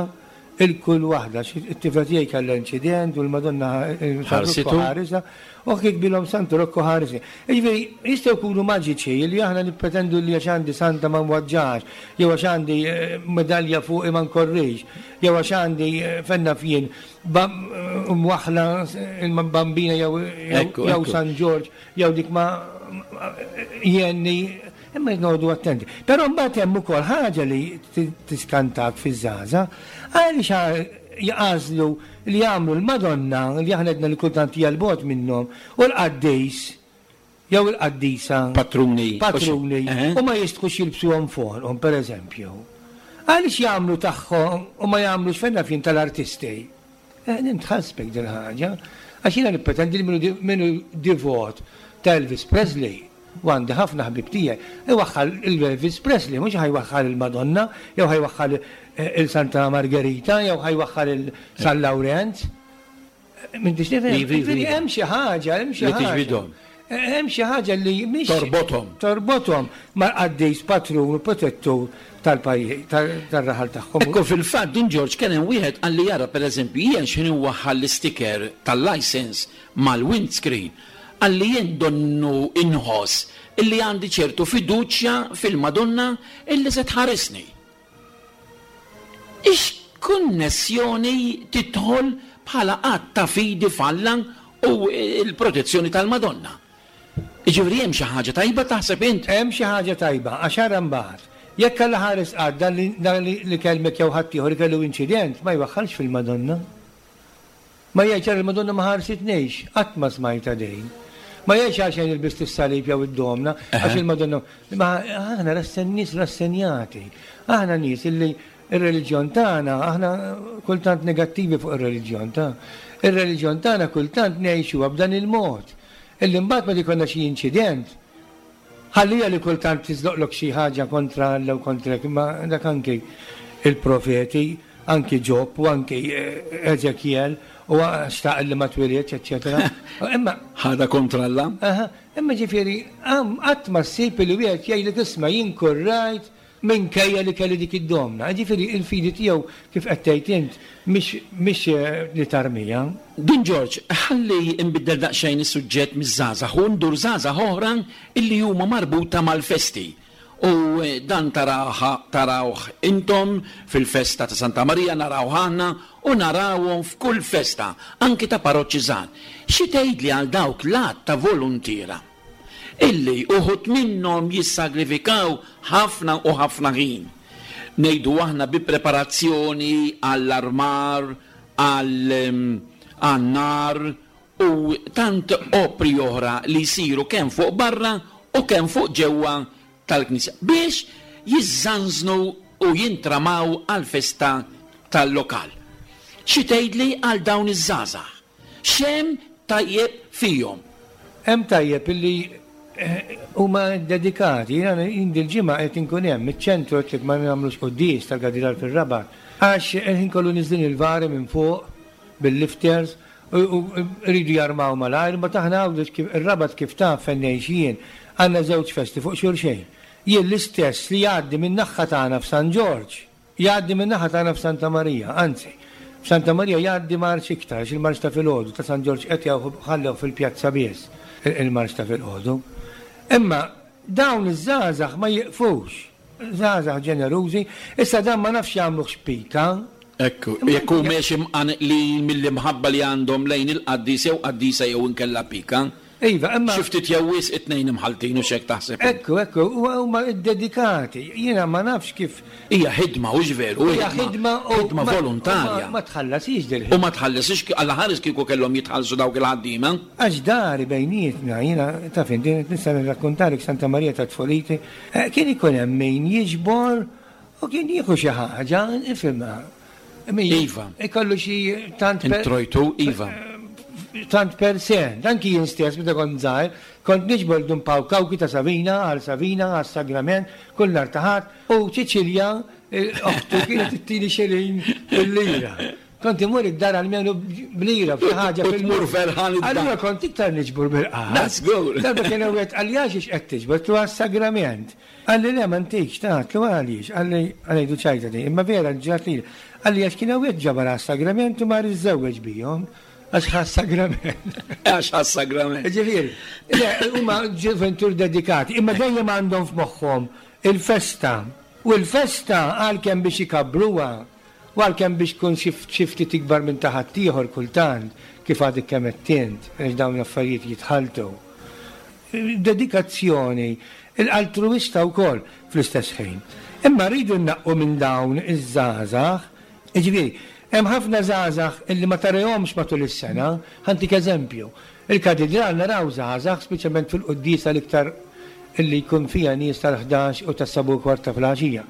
'il kull waħda, għax it-tifla tiegħi kellha inċident u l-Madonna San Rokku ħarisha, u kitbilhom Santu Rokku ħarisni. Jiġifieri jistgħu jkunu maġiċi li aħna nippretendu li għax għandi santa ma nwaġġax, jew għax għandi medalja fuqi ma nkorrix, jew għax għandi fejn naf jien mwaħħla il-Bambina jew San Ġorġ jew dik ma jgħinni, imma noqogħdu attenti. Però mbagħad hemm ukoll ħaġa li tiskantak fiż-żgħażagħ, għaliex jagħżlu li jagħmlu l-Madonna li aħna għedna li kultant hija 'l bogħod minnhom u l-qaddis jew il-qaddisa patruni patruni u ma jistħux jilbsuhom fuqhom pereżempju. Għaliex jagħmlu tagħhom u ma jagħmlux fejn naf jien tal-artisti? Eh, nintħassbek din ħaġa għax jiena nippretendi li min hu divot ta' Elvis Presley, u għandi ħafna ħbieb tiegħi, iwaħħal il-Elvis Presley, mhux ħa jwaħħal il-Madonna, jew ħa jwaħħal il-Santa Margherita, jew ħa jwaħħal il-San Lawrenz. M'intix tifhem? Jiġifieri hemm xi ħaġa, hemm xi ħaġa. Li tiġbidhom. Hemm xi ħaġa li mhix. Torbothom. Torbothom mal-qaddis patrun u protettur tal-pajjiż, tar-raħal tagħhom. Ekku fil-fatt Dun Ġorġ kien hemm wieħed qalli jara pereżempju jien x'ħin inwaħħal l-isticker tal-license mal-windscreen, qalli jien donnu inħoss illi għandi ċertu fiduċja fil-Madonna illi se tħarisni. X'konnessjoni tidħol bħala att ta' fidi f'Alla u l-protezzjoni tal-Madonna? Jiġifieri hemm xi ħaġa tajba taħseb int? Hemm xi ħaġa tajba, għax ara mbagħad, jekk Alla ħares qatt dan li kellmek jew ħaddieħor ikellu inċident, ma jwaħħalx fil-Madonna. Ma jgħidx ara l-Madonna ma ħarsitnix, qatt ma smajtha din. Ma jgħidx għalxejn ilbist is-salib jew id-domna, għax il-Madonna. Ma aħna rassen nies rassenjati. Aħna nies illi ir-reliġjon tagħna, aħna kultant negattivi fuq ir-reliġjon ta'. Ir-reliġjon tagħna kultant ngħixuha b'dan il-mod. Illi mbagħad meta jkollna xi inċident, ħallija li kultant tiżloqlok xi ħaġa kontra Alla u kontrek, imma dak anki il-profeti, anki Ġob u anki Ezekiel u xtaq li ma twilidx, eċċetera. Imma ħadha kontra Alla. Aha, imma ġifieri qatt ma ssib li wieħed jgħidlek isma' jien kurrajt minkejja li kelli dik id-domna. Ġifieri il-fidi tiegħu kif qed tgħid int mhix mhix li tarmija. Dun Ġorġ, ħalli nbiddel daqsxejn is-suġġett miż-żgħażagħ u ndur żgħażagħ oħra illi huma marbuta mal-festi. U dan tarawha tarawh intom fil-festa ta' Santa Marija, naraw aħna u narawhom f'kull festa, anki ta' parroċċi żgħar. Xi tgħidli għal dawk l-għadd ta' voluntiera illi uħud minnhom jissagrifikaw ħafna u ħafna ħin? Ngħidu aħna bi preparazzjoni għall-armar, għan-nar u tant opri oħra li jsiru kemm fuq barra u kemm fuq ġewwa tal-knisja biex jiżżanżnu u jintramaw għal-festa tal-lokal. Xi tgħidli għal dawn iż-żgħażagħ? X'hemm tajjeb fihom? Hemm tajjeb illi eh, huma dedikati. Jiena dil-ġimgħa qed inkun hemm iċ-ċentru, qed ma nagħmlux quddies tal-Katidral fir-Rabat, għax il-ħin kollu niżlin il-vari minn fuq bil-lifters u rridu jarmaw malajr, ma taħna Għawdex kif ir-Rabat, kif taf fejn ngħix jien, għandna żewġ festi fuq xulxejn. Jien l-istess li jgħaddi minn naħa tagħna f'San Ġorġ, jgħaddi minn naħa tagħna f'Santa Marija, anzi, f'Santa Marija jgħaddi marċ iktar, għax il-marċ ta' filgħodu ta' San Ġorġ qed ħallew fil-pjazza biss il-marċ ta' filgħodu. Imma dawn iż-żgħażagħ ma jiqfux, żgħażagħ ġenerużi, issa dan ma nafx jagħmluh xpika. Ekku, jekk hu mhux imqanqlin mill-imħabba li għandhom lejn il-qaddis jew qaddisa jew inkella pika. Iva, imma Xi ftit jew wisq it-tnejn imħaltin u x'hekk taħseb. Ekku, ekku, huma dedikati. Jiena ma nafx kif. Hija ħidma, hux veru? Hija ħidma u ħidma volontarja. Ma tħallasix dil U ma tħallasix, Alla ħares kieku kellhom jitħallsu dawk il-ħaddiema. Għax dari bejnietna, jiena taf inti, nista' nirrakkontalek Santa Marija ta' tfuliti, eh, kien ikun hemm min jiġbor u kien jieħu xi ħaġa, ifhimha. Iva. Ikollu xi tant Introjtu, iva. Tant per se, anki jien stess meta kont żgħir, kont niġbor Dun Paw Kawki ta' Savina, għal Savina, għal Sagrament, kull nhar ta' Ħadd, u Ċiċilja, oħtu, kienet ittini xelin bil-lira. Kont imur id-dar għalmenu b'lira f'xi ħaġa. U tmur ferħan id-dar. Allura kont iktar niġbor bil-qahar. That's good. Darba kien wieħed qalli, "Għax qed tiġbor?" Tu għas-sagrament. Qalli, "Le, ma ntikx." Tgħidlu għaliex? Qalli, ngħidu ċajta di, imma vera ġrat li. Qalli, għax kien wieħed ġabar għas-sagrament u mar iżżewweġ bihom. Għax ħa s-sagrament. Għax ħa s-sagrament. Ġifieri, le, huma ġuventur dedikati, imma dejjem għandhom f'moħħhom il-festa. U l-festa, għalkemm biex ikabbruha, u għalkemm biex tkun xi ftit ikbar minn ta' ħaddieħor kultant, kif għadek kemm għedt, għax dawn l-affarijiet jitħaltu. Dedikazzjoni, l-altruista wkoll fl-istess ħin. Imma rridu nnaqqu minn dawn iż-żgħażagħ, ġifieri, hemm ħafna żgħażagħ illi ma tarahomx matul is-sena. Ħa ntik eżempju. Il-katedral naraw żgħażagħ, speċjalment fil-quddiesa l-iktar illi jkun fija nies tal-ħdax u tas-sebgħa u kwarta filgħaxija.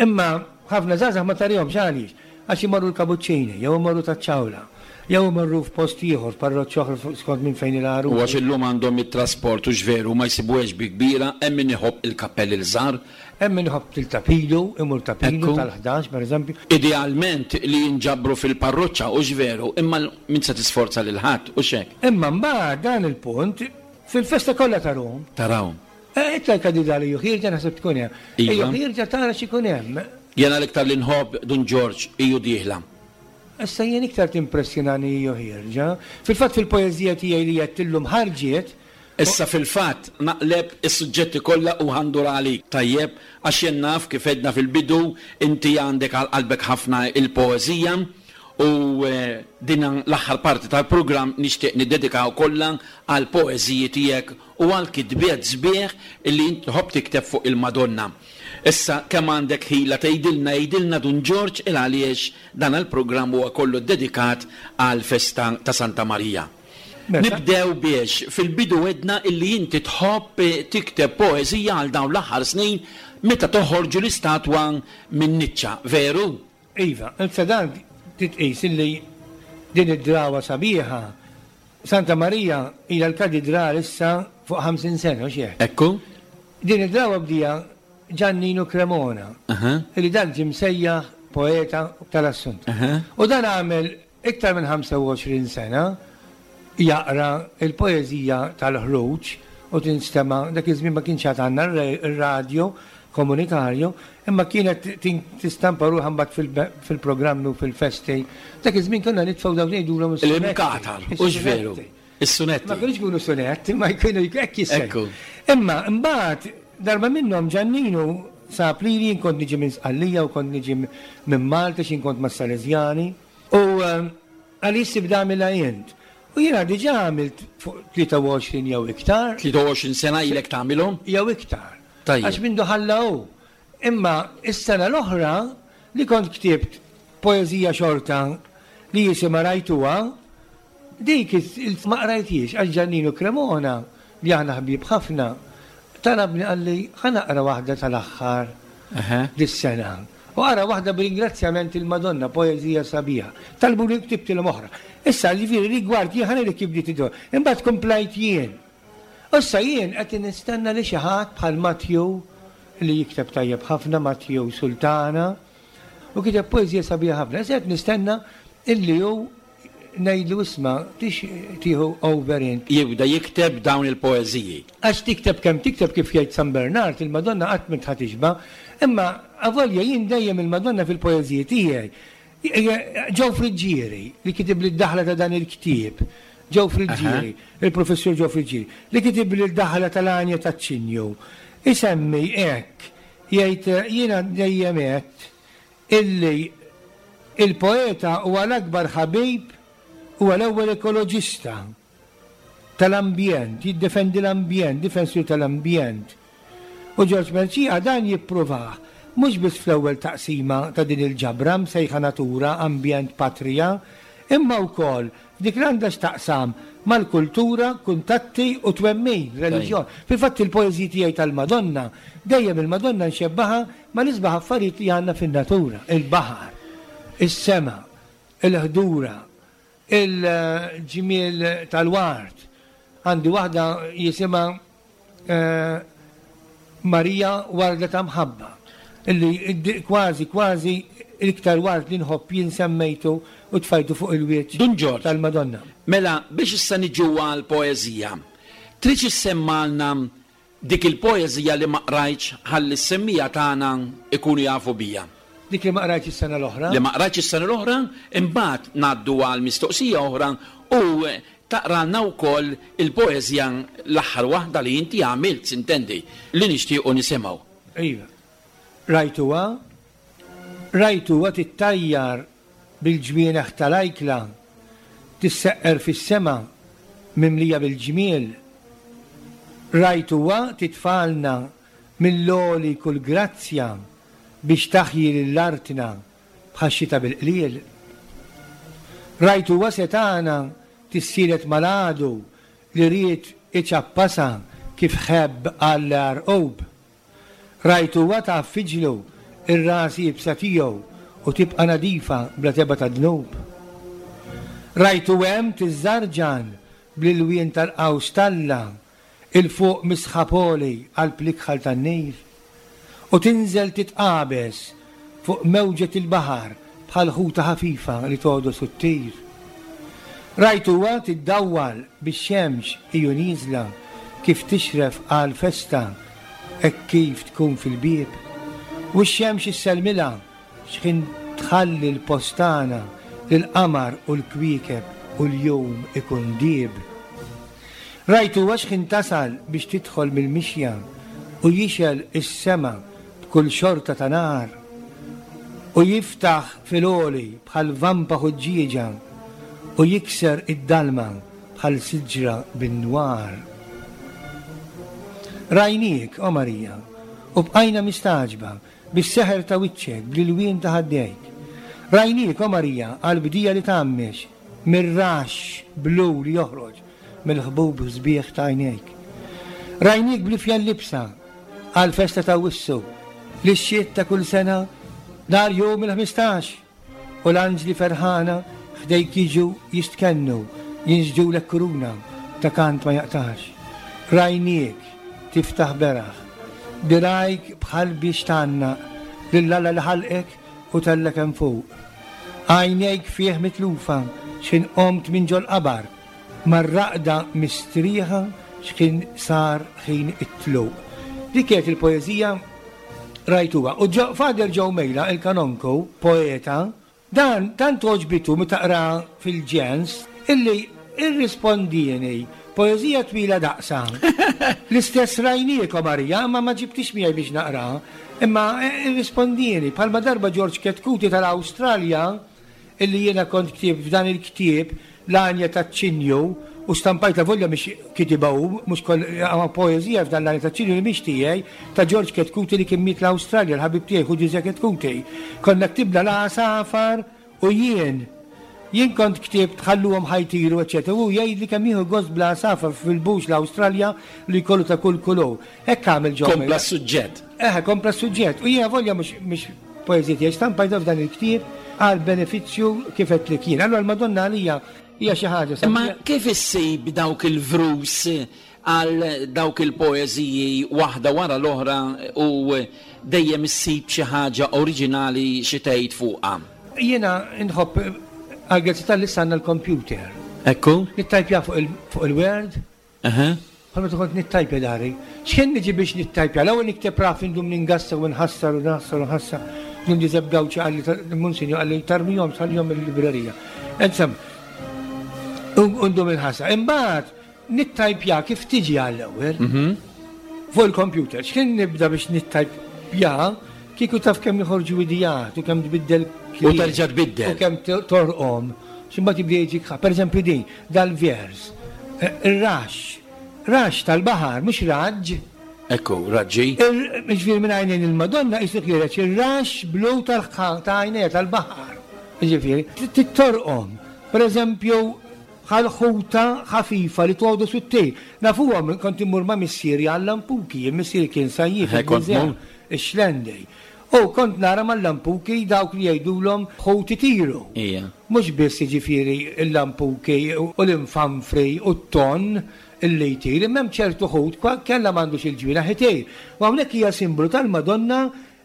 Imma ħafna żgħażagħ ma tarahomx, għaliex? Għax imorru l-Kabuċċini, jew imorru taċ-Ċawla, jew imorru f'post ieħor, parroċċa oħra, skont minn fejn il-għaru. U għax illum għandhom it-trasport, u veru ma jsibuhiex bi kbira, hemm min iħobb il-kappelli l-żgħar. Hemm min iħobb il-Ta' Pinu, imur Ta' Pinu Ekku. tal-ħdax, per eżempju. Idealment li jinġabru fil-parroċċa, u veru, imma min se tisforza lil ħadd u xek. Imma mbagħad dan il-punt fil-festa kollha tarahom. Tarawhom. Eh, Itla' l-katidrali ju ħierġa, naħseb tkun hemm. Iva. Ejju ħierġa tara x'ikun hemm. Jena l-iktar li nħobb, Dun Ġorġ, iju dieħla. Issa jien iktar timpressjonani iju ħierġa. Fil-fatt fil-poeżija tiegħi li qed illum ħarġiet, Issa fil-fatt naqleb is-suġġetti kollha u ħa ndur għalik. Tajjeb, għax jien naf, kif edna fil-bidu, inti għandek għal qalbek ħafna il-poeżija u eh, din l-aħħar parti tal-programm nixtieq niddedikaw kollha għal poeżiji tiegħek u għal kitbiet sbieħ illi inti tħobb tikteb fuq il-Madonna. Issa kemm għandek ħila tgħidilna, jgħidilna Dun Ġorġ, il għaliex dan il-programm huwa kollu dedikat għal festa ta' Santa Marija. Mela. Nibdew biex fil-bidu għedna illi inti tħobb tikteb poeżija għal dawn l-aħħar snin meta toħorġu l-istatwa minn niċċa, veru? Iva, issa dan titqis illi din id-drawa sabiħa, Santa Marija hija l-katedral issa fuq ħamsin sena, u xieħ. Ekku? Din id-drawa bdieha Giannino Cremona, Aha. illi dan ġie msejjaħ poeta tal-Assunta. Aha. U dan għamel iktar minn ħamsa u għoxrin sena jaqra il-poeżija tal-ħruġ u tinstema'. Dak iż-żmien ma kienx għad għandna ir-radio komunitarju, imma kienet tin- tistampa ruħha mbagħad fil- fil-programmi u fil-festi. Dak iż-żmien konna nitfgħu dawn ngħidulhom is-sunetti. L-imkatar, hux veru? Is-sunetti. Is-sunetti. Ma kienux jkunu sunetti, ma jkunu hekk jissejħu. Ekku. Imma mbagħad Darba minnhom Ġanninu sab lili, jien kont niġi minn Sqallija u kont niġi minn Malta x'in kont mas-Salesjani. U qalli, "Issa ibda agħmilha int." U jiena diġà għamilt fuq tlieta u għoxrin jew iktar. tlieta u għoxrin sena ilek tagħmilhom? Jew iktar. Tajjeb. Għax mindu ħalla hu. Imma is-sena l-oħra li kont ktibt poeżija xorta li jisimha "Rajtuha", dik il- ma qrajthiex għax Ġanninu Cremona, li aħna ħbieb ħafna, talabni, qalli, "Ħa naqra waħda tal-aħħar dis-sena." U qara waħda b'ringrazzjament il-Madonna, poeżija sabiħa. Talbu li ktibtilhom oħra. Issa ġifieri rigward jien ħa ngħidlek kif bdiet id Imbagħad komplajt jien. Issa jien qed nistenna li xi ħadd bħal Matthew, li jikteb tajjeb ħafna, Matthew Sultana, u kiteb poeżija sabiħa ħafna. Issa qed nistenna illi hu ngħidlu, "Isma', tix tieħu over int?" Jibda jikteb dawn il-poeżiji. Għax tikteb kemm tikteb, kif jgħid San Bernard, il-Madonna qatt m'int ħa tixba', imma avolja jien dejjem il-Madonna fil-poeżiji tiegħi. Joe Friggieri, li kitib li d-daħla ta' dan il-ktieb, Joe Friggieri, il-professur Joe Friggieri, li kitib li d-daħla tal-Għanja taċ-Ċinju, isemmi hekk, jgħid, "Jiena dejjem għedt illi il-poeta huwa l-akbar ħabib, huwa l-ewwel ekoloġista tal-ambjent, jiddefendi l-ambjent, difensur tal-ambjent." U Ġorġ Mercieca dan jippruvah mhux biss fl-ewwel taqsima ta' din il-ġabra msejħa "Natura, Ambjent, Patrija", imma wkoll dik li għandha x'taqsam mal-kultura, kuntatti u twemmin, reliġjon. Fil-fatt il-poeżiji tiegħi tal-Madonna, dejjem il-Madonna nxebbaha mal-isbaħ affarijiet li għandna fin-natura, il-baħar, is-sema, il-ħdura, il-ġmiel tal-ward. Għandi waħda jisimha eh, "Marija Warda ta' Mħabba", illi kważi kważi l-iktar ward li nħobb jien semmejtu u tfajtu fuq il-wiċċ Dun Ġorġ. tal-Madonna. Mela, biex issa niġu għal poeżija, trid issemmalna dik il-poeżija li ma qrajtx ħalli s-semmiegħa tagħna ikunu jafu bija? Dik li ma qrajtx is-sena l-oħra? Li ma qrajtx is-sena l-oħra, imbagħad ngħaddu għal mistoqsija oħra u taqralna wkoll il-poeżija l-aħħar waħda li inti għamilt, sintendi, li nixtiequ nisimgħu. Iva. "Rajtuha, rajtuha tittajjar bil-ġwienaħ tal-ajkla, tisseqqer fis-sema mimlija bil-ġmiel. Rajtuha titfagħlna mill-għoli kull grazzja biex taħji l-artna bħax-xita bil-qliel. Rajtuha setgħana tissielet mal-għadu li ried iċappasha kif ħebb għall-għarqub. Rajtuha tgħaffiġlu ir-ras iebsa tiegħu u tibqa' nadifa bla tebgħa ta' dnub. Rajtu hemm tiżżarġan bl-ilwien tal-qaws t'Alla 'il fuq mis-sħab għoli qalb l-ikħal tan-Nil. U tinżel titqabeż fuq mewġet il-baħar bħal ħuta ħafifa li togħdos u ttir. Rajtuha tiddawwal bix-xemx hi u nieżla kif tixref għal festa hekk kif tkun fil-bieb. U x-xemx issellmilha xħin tħalli l-post tagħna lil-qamar u l-kwiekeb u l-jum ikun dieb. Rajtuha xħin tasal biex tidħol mill-mixja u jixgħel is-sema b'kull xorta ta' nar u jiftaħ fil-għoli bħal vampa ħuġġieġa u jikser id-dalma bħal siġra bin-nwar. Rajniek, o Marija, u bqajna mistagħġba bis-seħer ta' wiċċek, bl-ilwien ta' ħaddejk. Rajniek, o Marija, għal-bdija li tgħammex mir-rax blu li joħroġ mill-ħbub sbieħ ta' għajnejk. Rajniek bl-ifjen libsa għal-festa ta' Awwissu li xxiet ta' kull sena nhar jum il-ħmistax u l-anġli ferħana ħdejk jiġu jistkennu, jinsġu kuruna ta' kant ma jaqtax. Rajniek tiftaħ beraħ dirgħajk bħal biex tgħannaq lil Alla li ħalqek u tellgħek hemm fuq. Għajnejk fih mitlufa x'ħin qomt minn ġol-qabar, mar-raqda mistrieħa x'ħin sar ħin it-tluq." Dik kienet il-poeżija "Rajtuha". U Father Joe Mejla, il-kanonku, poeta, dan tant għoġbitu meta qra fil-Ġens illi irrispondieni Poeżija twila daqsa. L-istess rajniekom Marija, ma ma ġibtix miegħi biex naqra, imma irrispondini. Bħalma darba George Chetcuti tal-Awstralja, illi jiena kont ktieb f'dan il-ktieb l-għanja taċ-ċinju u stampajta volja mhix kitiba hu, mhux koll poeżija f'dan l-għanja taċ-ċinju li mhix tiegħi, ta' George Chetcuti li kien miet l-Awstralja, l-ħabib tiegħi hu Ġużè Chetcuti. Konna ktibna l-għasafar u jien. Jien kont ktibt ħalluhom ħajtiru, eċċetera. U jgħid li kemm jieħu gost bla għasafar fil-bux l-Awstralja li jkollu ta' kull kulur. Hekk għamel ġo. Kompla s-suġġett. Eħe, kompla s-suġġett. U jiena volja mhux poeżija tiegħi, stampajta f'dan il-ktieb għal benefiċċju kif qed li kien. Allura l-Madonna għalija hija xi ħaġa. Imma kif issib dawk il-vrus għal dawk il-poeżiji waħda wara l-oħra u dejjem issib xi ħaġa oriġinali xi tgħid fuqha? Jiena nħobb għal-grazzi tal-issa għandna l-computer. Ekku? Nittajpja fuq il-Word. Aha. Bħalma kont nittajpja dari. X'kien niġi biex nittajpja? L-ewwel nikteb raf indum ningassa u nħassar u nħassar u nħassar. Dun Ġużepp Gawċi qalli Monsinjur qalli tarmihom tħallihom il-librerija. Insomma, undum inħassar. Imbagħad nittajpja kif tiġi għall-ewwel. Fuq il-computer. X'kien nibda biex nittajpja kieku taf kemm joħorġu idijat u kemm tbiddel U terġa' tbiddel. U kemm torqom. X'imbagħad jibda jiġik ħa. Pereżempju din, dal-vers. Ir-raxx. Raxx tal-baħar, mhux raġġ. Ekku, raġġi. Ġifieri minn għajnejn il-Madonna qisu ħiereġ ir-raxx blu tal ta' għajnejha tal-baħar. Ġifieri, tittorqom. Pereżempju, bħal ħuta ħafifa li tgħodu sut-tejl. Nafuhom kont immur ma' missieri għall-lampuki, missieri kien sajjief ix-xlendej. U kont nara mal-lampuki dawk li jgħidulhom ħut itiru. Ija. Mhux biss jiġifieri l-lampuki u l-infanfri u t-ton illi jtir, imma hemm ċertu ħut kellha m'għandux il-ġwienaħ itir. U hawnhekk hija simbolu tal-Madonna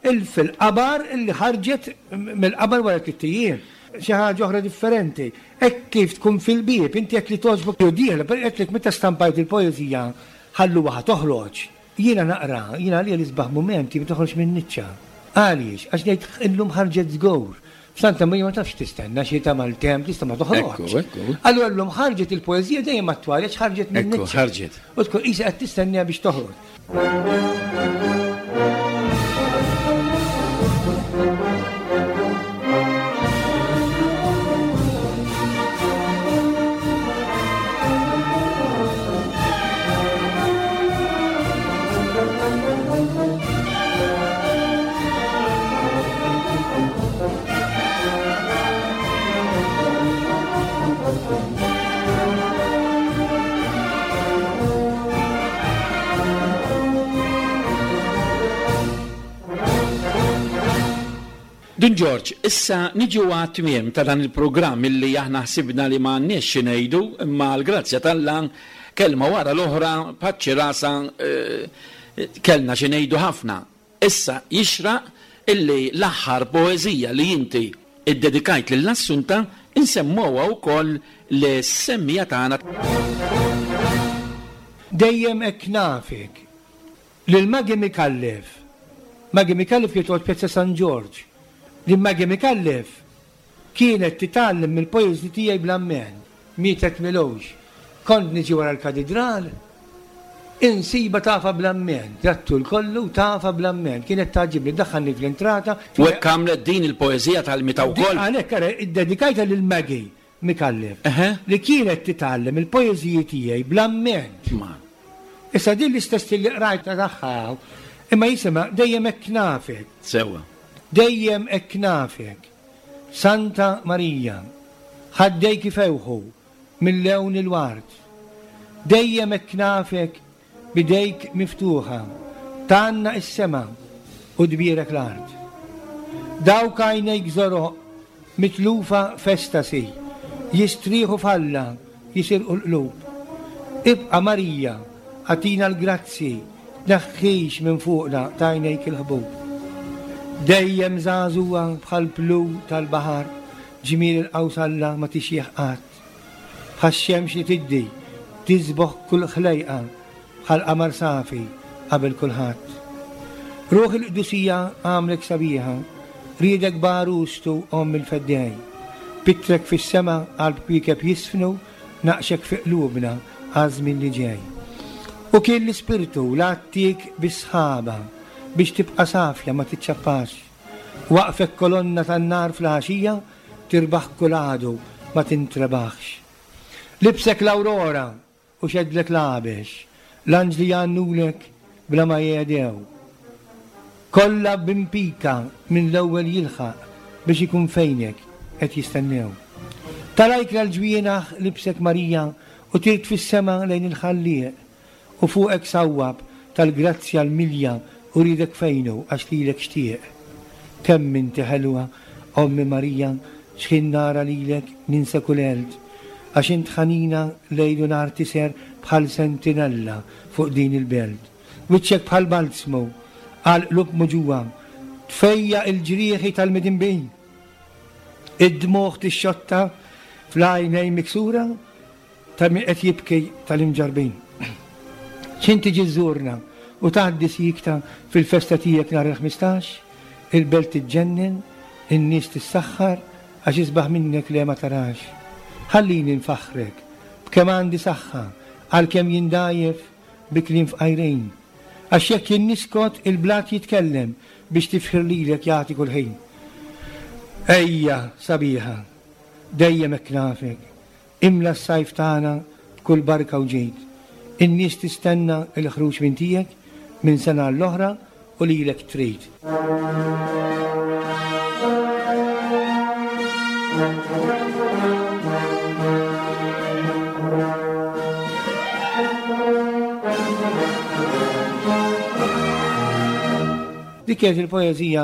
il fil-qabar illi ħarġet mill-qabar wara tliet ijiem. Xi ħaġa oħra differenti. Hekk kif tkun fil-bieb, inti jekk li togħġbok jew dieħla, per qed meta stampajt il-poeżija ħalluha toħroġ. Jiena naqra, jiena għalija l-isbaħ mumenti meta toħroġ minn niċċa. Għaliex, għax ngħid illum ħarġet żgur. F'Santa Marija ma tafx tistenna xi ta' maltemp tista' ma toħroġ. Allura llum ħarġet il-poeżija dejjem attwali għax ħarġet minn niċċa. Ħarġet. U tkun qisha qed tistenniha biex toħroġ. Dun Ġorġ, issa niġu għat-tmiem ta' dan il-programm illi aħna ħsibna li ma għandniex xi ngħidu, imma l-grazzja t'Alla kelma wara l-oħra paċċi rasa kellna xi ngħidu ħafna. Issa jixraq illi l-aħħar poeżija li inti iddedikajt lill-Assunta insemmuha wkoll lis-semmija tagħna. Dejjem hekk nafek lil Maggie Micallef. Maggie Micallef kienet toqgħod Pjazza San Ġorġ. Li Maggie Micallef kienet titgħallem mill-poeżiji tiegħi bl-ammen, mietet milux. Kont niġi wara l-katedral, insiba tafa bl-ammen, trattu l-kollu tafa bl-ammen, kienet tagħġibni, daħħalni fl-entrata. U hekk għamlet din il-poeżija tal-mita wkoll. Għalhekk ara iddedikajta lil Maggie Micallef li kienet titgħallem il-poeżiji tiegħi bl-ammen. Issa din l-istess li qrajta tagħha, imma jisimha dejjem hekk nafek. Sewwa. Dejjem hekk nafek, Santa Marija, ħaddejk ifewħu mill-lewn il-ward. Dejjem hekk nafek bidejk miftuħa, tgħannaq is-sema u tbierek l-art. Dawk għajnejk żoroq mitlufa f'estasi, jistrieħu f'Alla, jisirqu l-qlub. Ibqa' Marija, agħtina l-grazzi, tneħħix minn fuqna t'għajnejk il-ħbub. Dejjem żagħżugħa bħal blu tal-baħar, ġmiel il-qaws Alla ma tixjieħ qatt. Bħax-xemx li tiddi, tisboħ kull ħlejqa, bħal qamar safi qabel kulħadd. Ruħ il-qdusija għamlek sabiħa, riedek b'għarustu omm il-feddej. Pittrek fis-sema qalb kwiekeb jisfnu, naqxek fi qlubna għaż-żmien li ġej. U kien l-Ispirtu l-għattik bis-sħaba biex tibqa' safja ma tiċċappax. Waqfek kolonna tan-nar fl-għaxija tirbaħ kull għadu ma tintrebaħx. Libsek l-awrora u xedlek l-għabex, l-anġli jgħannulek bla ma jgħedew. Kollha b'impika minn l-ewwel jilħaq biex ikun fejnek qed jistennew. Tarajk l-ġwienaħ libsek Marija u tirt fis-sema lejn il-Ħallieq u fuqek sawwab tal-grazzja l-milja u ridek fejnu għax lilek xtieq. Kemm inti ħelwa, Ommi Marija, x'ħin nara lilek ninsa kull għelt, għax int ħanina lejl u nhar tiser bħal sentinella fuq din il-belt. Wiċċek bħal balzmu għal qlub muġuwa, tfejja il-ġrieħi tal-midinbin. Id-dmugħ tixxotta fl-għajnejn miksura ta' min qed jibki tal-imġarbin. X'in tiġi żżurna u tgħaddi sikta fil-festa tiegħek nhar il-ħmistax, il-belt tiġġennen, in-nies tissaħħar għax isbaħ minnek le ma tarax. Ħallini nfaħħrek b'kemm għandi saħħa għalkemm jindajjef bi kliem fqajrejn. Għax jekk jien niskot il-blat jitkellem biex tifħir lilek jagħti kull ħin. Ejja sabiħa, dejjem hekk nafek, imla s-sajf tagħna b'kull barka u ġid. In-nies tistenna l-ħruġ minn tiegħek minn sena l-oħra u lilek trid. Dik kienet il-poeżija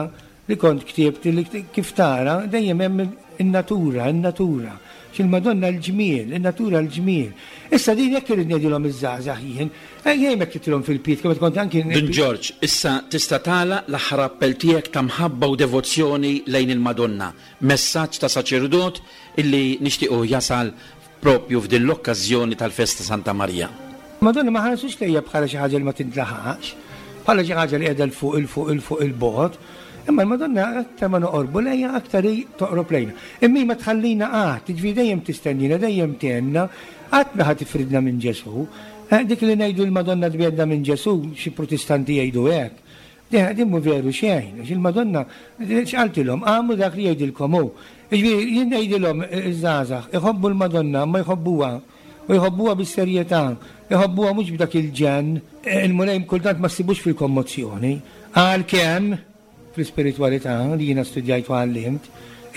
li kont ktibt li kif tara dejjem hemm in-natura, in-natura. X'il-Madonna l-ġmiel, in-natura l-ġmiel. Issa din jekk irid ngħidilhom iż-żgħażagħ jien, jien hekk titilhom fil-piet kemm kont anki. Dun Ġorġ, issa tista' tagħlaq l-aħħar appell tiegħek ta' mħabba u devozzjoni lejn il-Madonna, messaġġ ta' saċerdot illi nixtiequ jasal propju f'din l-okkażjoni tal-festa Santa Marija. Madonna ma ħarsux lejja bħala xi ħaġa li ma tintlaħaqx, bħala xi ħaġa li qiegħda l fuq il fuq il fuq il-bogħod. Imma l-Madonna aktar ma noqorbu lejha aktar hi toqrob lejna. Imma ma tħallina qatt, jiġifieri dejjem tistennina, dejjem tgħinna, qatt ma ħa tifridna minn Ġesù. Dik li ngħidu l-Madonna tbiegħedna minn Ġesù, xi Protestanti jgħidu hekk. Din mhu veru xejn, għax il-Madonna x'qaltilhom, għamlu dak li jgħidilkom hu. Jiġifieri jien ngħidilhom iż-żgħażagħ, iħobbu l-Madonna, ma jħobbuha u jħobbuha bis-serjetà, jħobbuha mhux b'dak il-ġenn. Il-Mulej kultant ma ssibux fil-kommozzjoni, għalkemm fl-ispiritwalità li jiena studjajt u għallimt,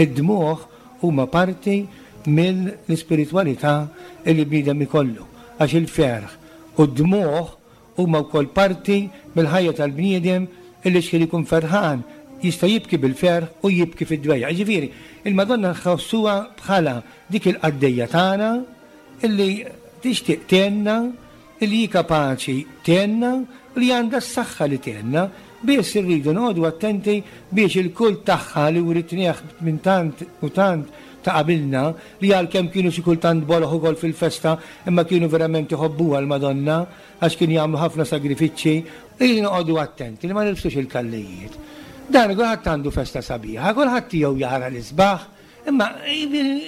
id-dmugħ huma parti mill-ispiritwalità li bniedem ikollu, għax il-ferħ u d-dmugħ huma wkoll parti mill-ħajja tal-bniedem illi xħin ikun ferħan jista' jibki bil-ferħ u jibki fid-dwejja. Jiġifieri, il-Madonna nħossuha bħala dik il-qaddejja tagħna illi tixtieq tgħinna, illi hi kapaċi tgħinna, li għandha s-saħħa li tgħinna, biss irridu noqogħdu attenti biex il-kult tagħha li writnieh minn tant u tant ta' qabilna, li għalkemm kienu xi kultant boloħ ukoll fil-festa, imma kienu verament iħobbuha l-Madonna għax kienu jagħmlu ħafna sagrifiċċji, irridu noqogħdu attenti li ma nilbsux il-kallijiet. Dan kulħadd għandu festa sabiħa, kulħadd tiegħu jara l-isbaħ, imma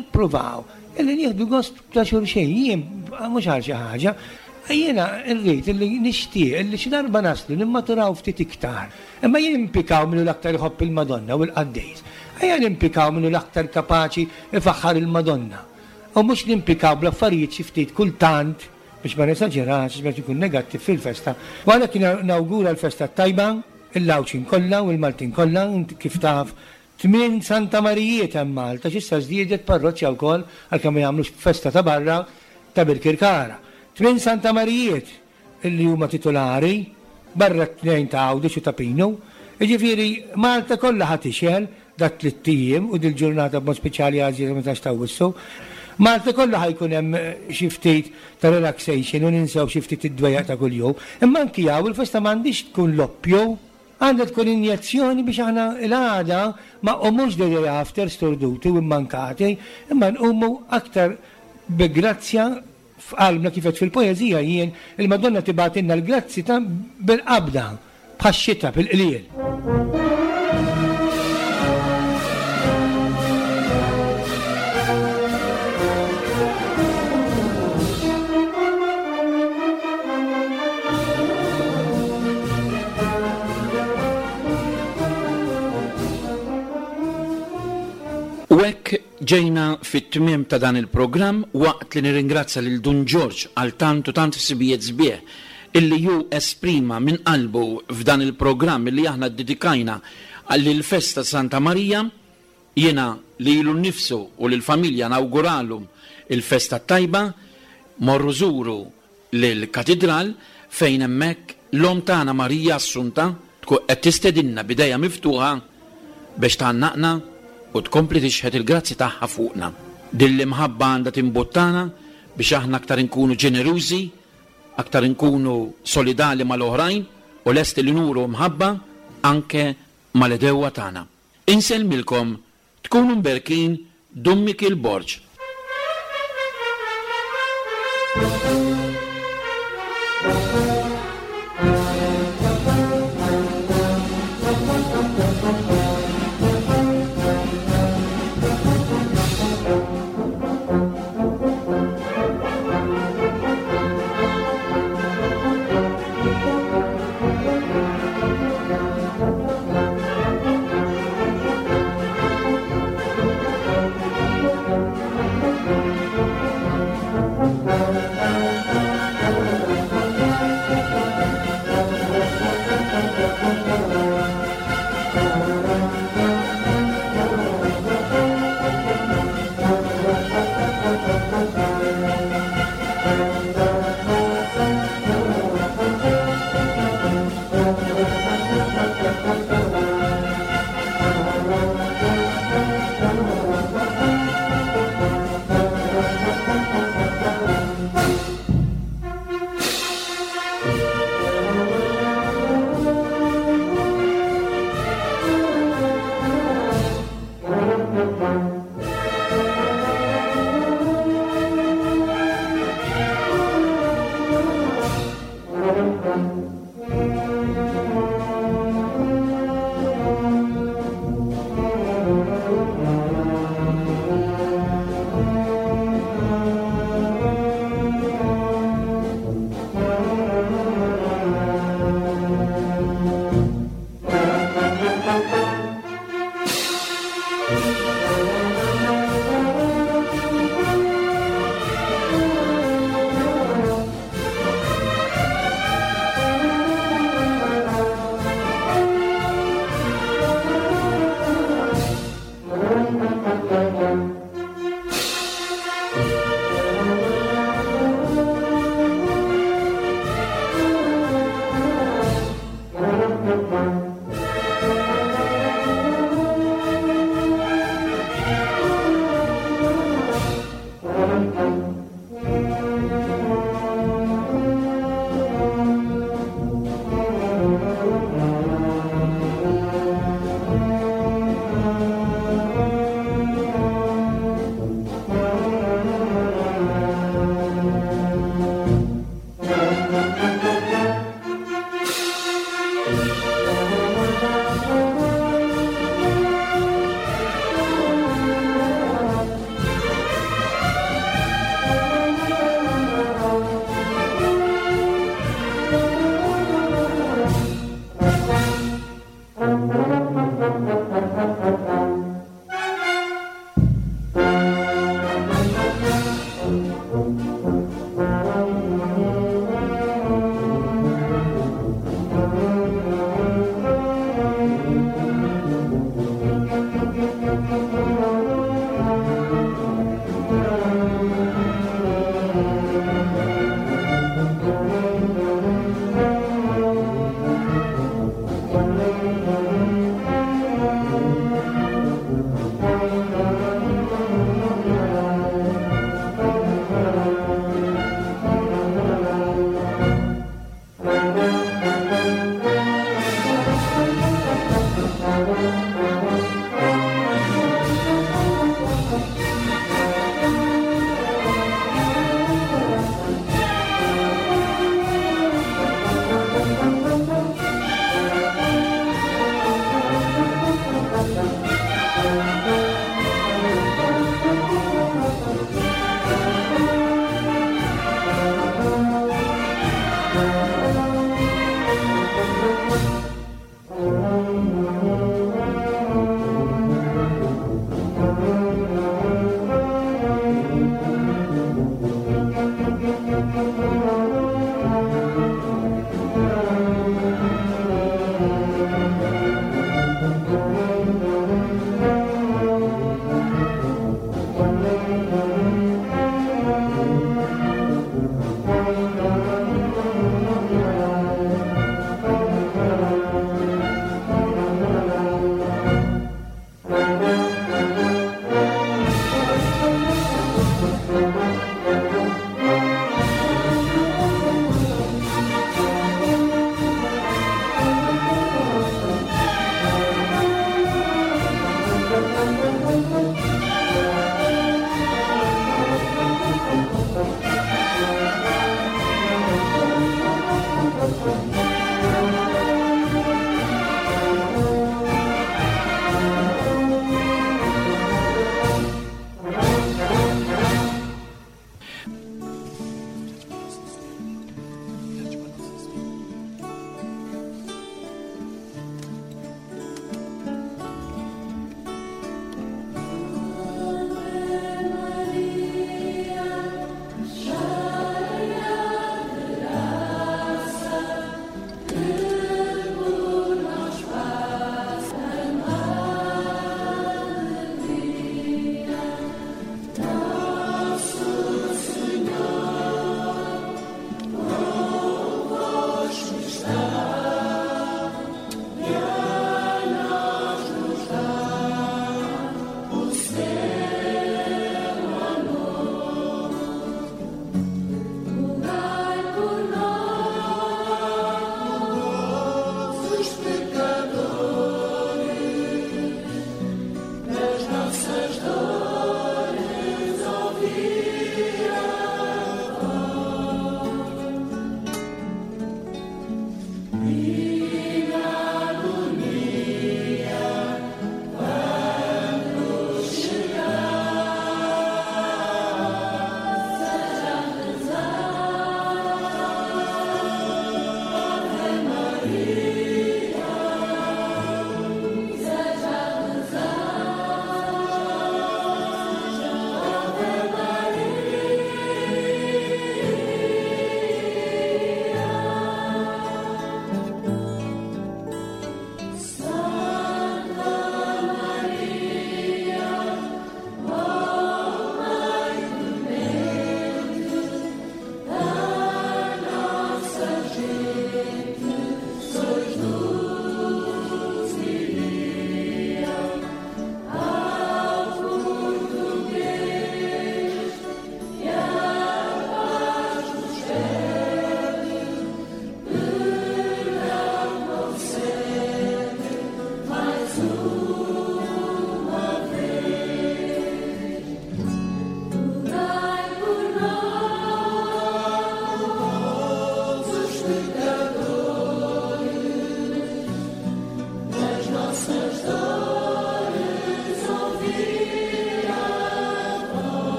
ippruvaw illi nieħdu gost ta' xulxin, jien mhux għal xi ħaġa, jiena rrid illi nixtieq illi xi darba naslu nimmaturaw ftit iktar. Imma jien impikaw minnu l-aktar iħobb il-Madonna u l-qaddejs. Ejja nimpikaw minnu l-aktar kapaċi ifaħħar il-Madonna. U mhux nimpikaw bl-affarijiet xi ftit kultant biex ma nesaġerax, biex ikun negattiv fil-festa. U għalhekk nawgura l-festa tajba, il-Għawdxin kollha u l-Maltin kollha, kif taf tmien Santa Marijiet hemm Malta, x'issa żdiedet parroċċja wkoll għalkemm ma jagħmlux festa ta' barra ta' Birkirkara. Tmien Santa Marijiet illi huma titolari barra t-tnejn ta' Għawdex u ta' Pinu. Jiġifieri Malta kollha ħa tixgħel dat tliet ijiem u dil-ġurnata b'mod speċjali għażiża meta ta' Wissu. Malta kollha ħajkun hemm xi ftit ta' relaxation u ninsew xi ftit id-dwejjaq ta' kuljum. Imma anki hawn il-festa m'għandix tkun loppju, għandha tkun injezzjoni biex aħna l-għada ma nqumux the day after storduti u immankati, imma nqumu aktar bi grazzja f'qalbna kif qed fil-poeżija jien il-Madonna tibgħatilna l-grazzi ta' bil-qabda bħax-xita bil-qliel. U hekk ġejna fit-tmiem ta' dan il-programm waqt li nirringrazzja lil Dun Ġorġ għal tant u tant ħsibijiet sbieħ illi hu esprima minn qalbu f'dan il-programm illi aħna ddedikajna għall-festa Santa Marija. Jiena lilu nnifsu u lill-familja nawguralhom il-festa tajba, morru żuru lill-katidral fejn hemmhekk l-Omm tagħna Marija Assunta tkun qed tistedinna b'idejha miftuħa biex tgħannaqna u tkompli tixħet il-grazzi tagħha fuqna. Din l-imħabba għandha timbuttana biex aħna aktar inkunu ġenerużi, aktar inkunu solidali mal-oħrajn u lesti li nuru mħabba anke mal-għedewwa tagħna. Insellmilkom, tkunu mberkin, Dun Mikiel Borg.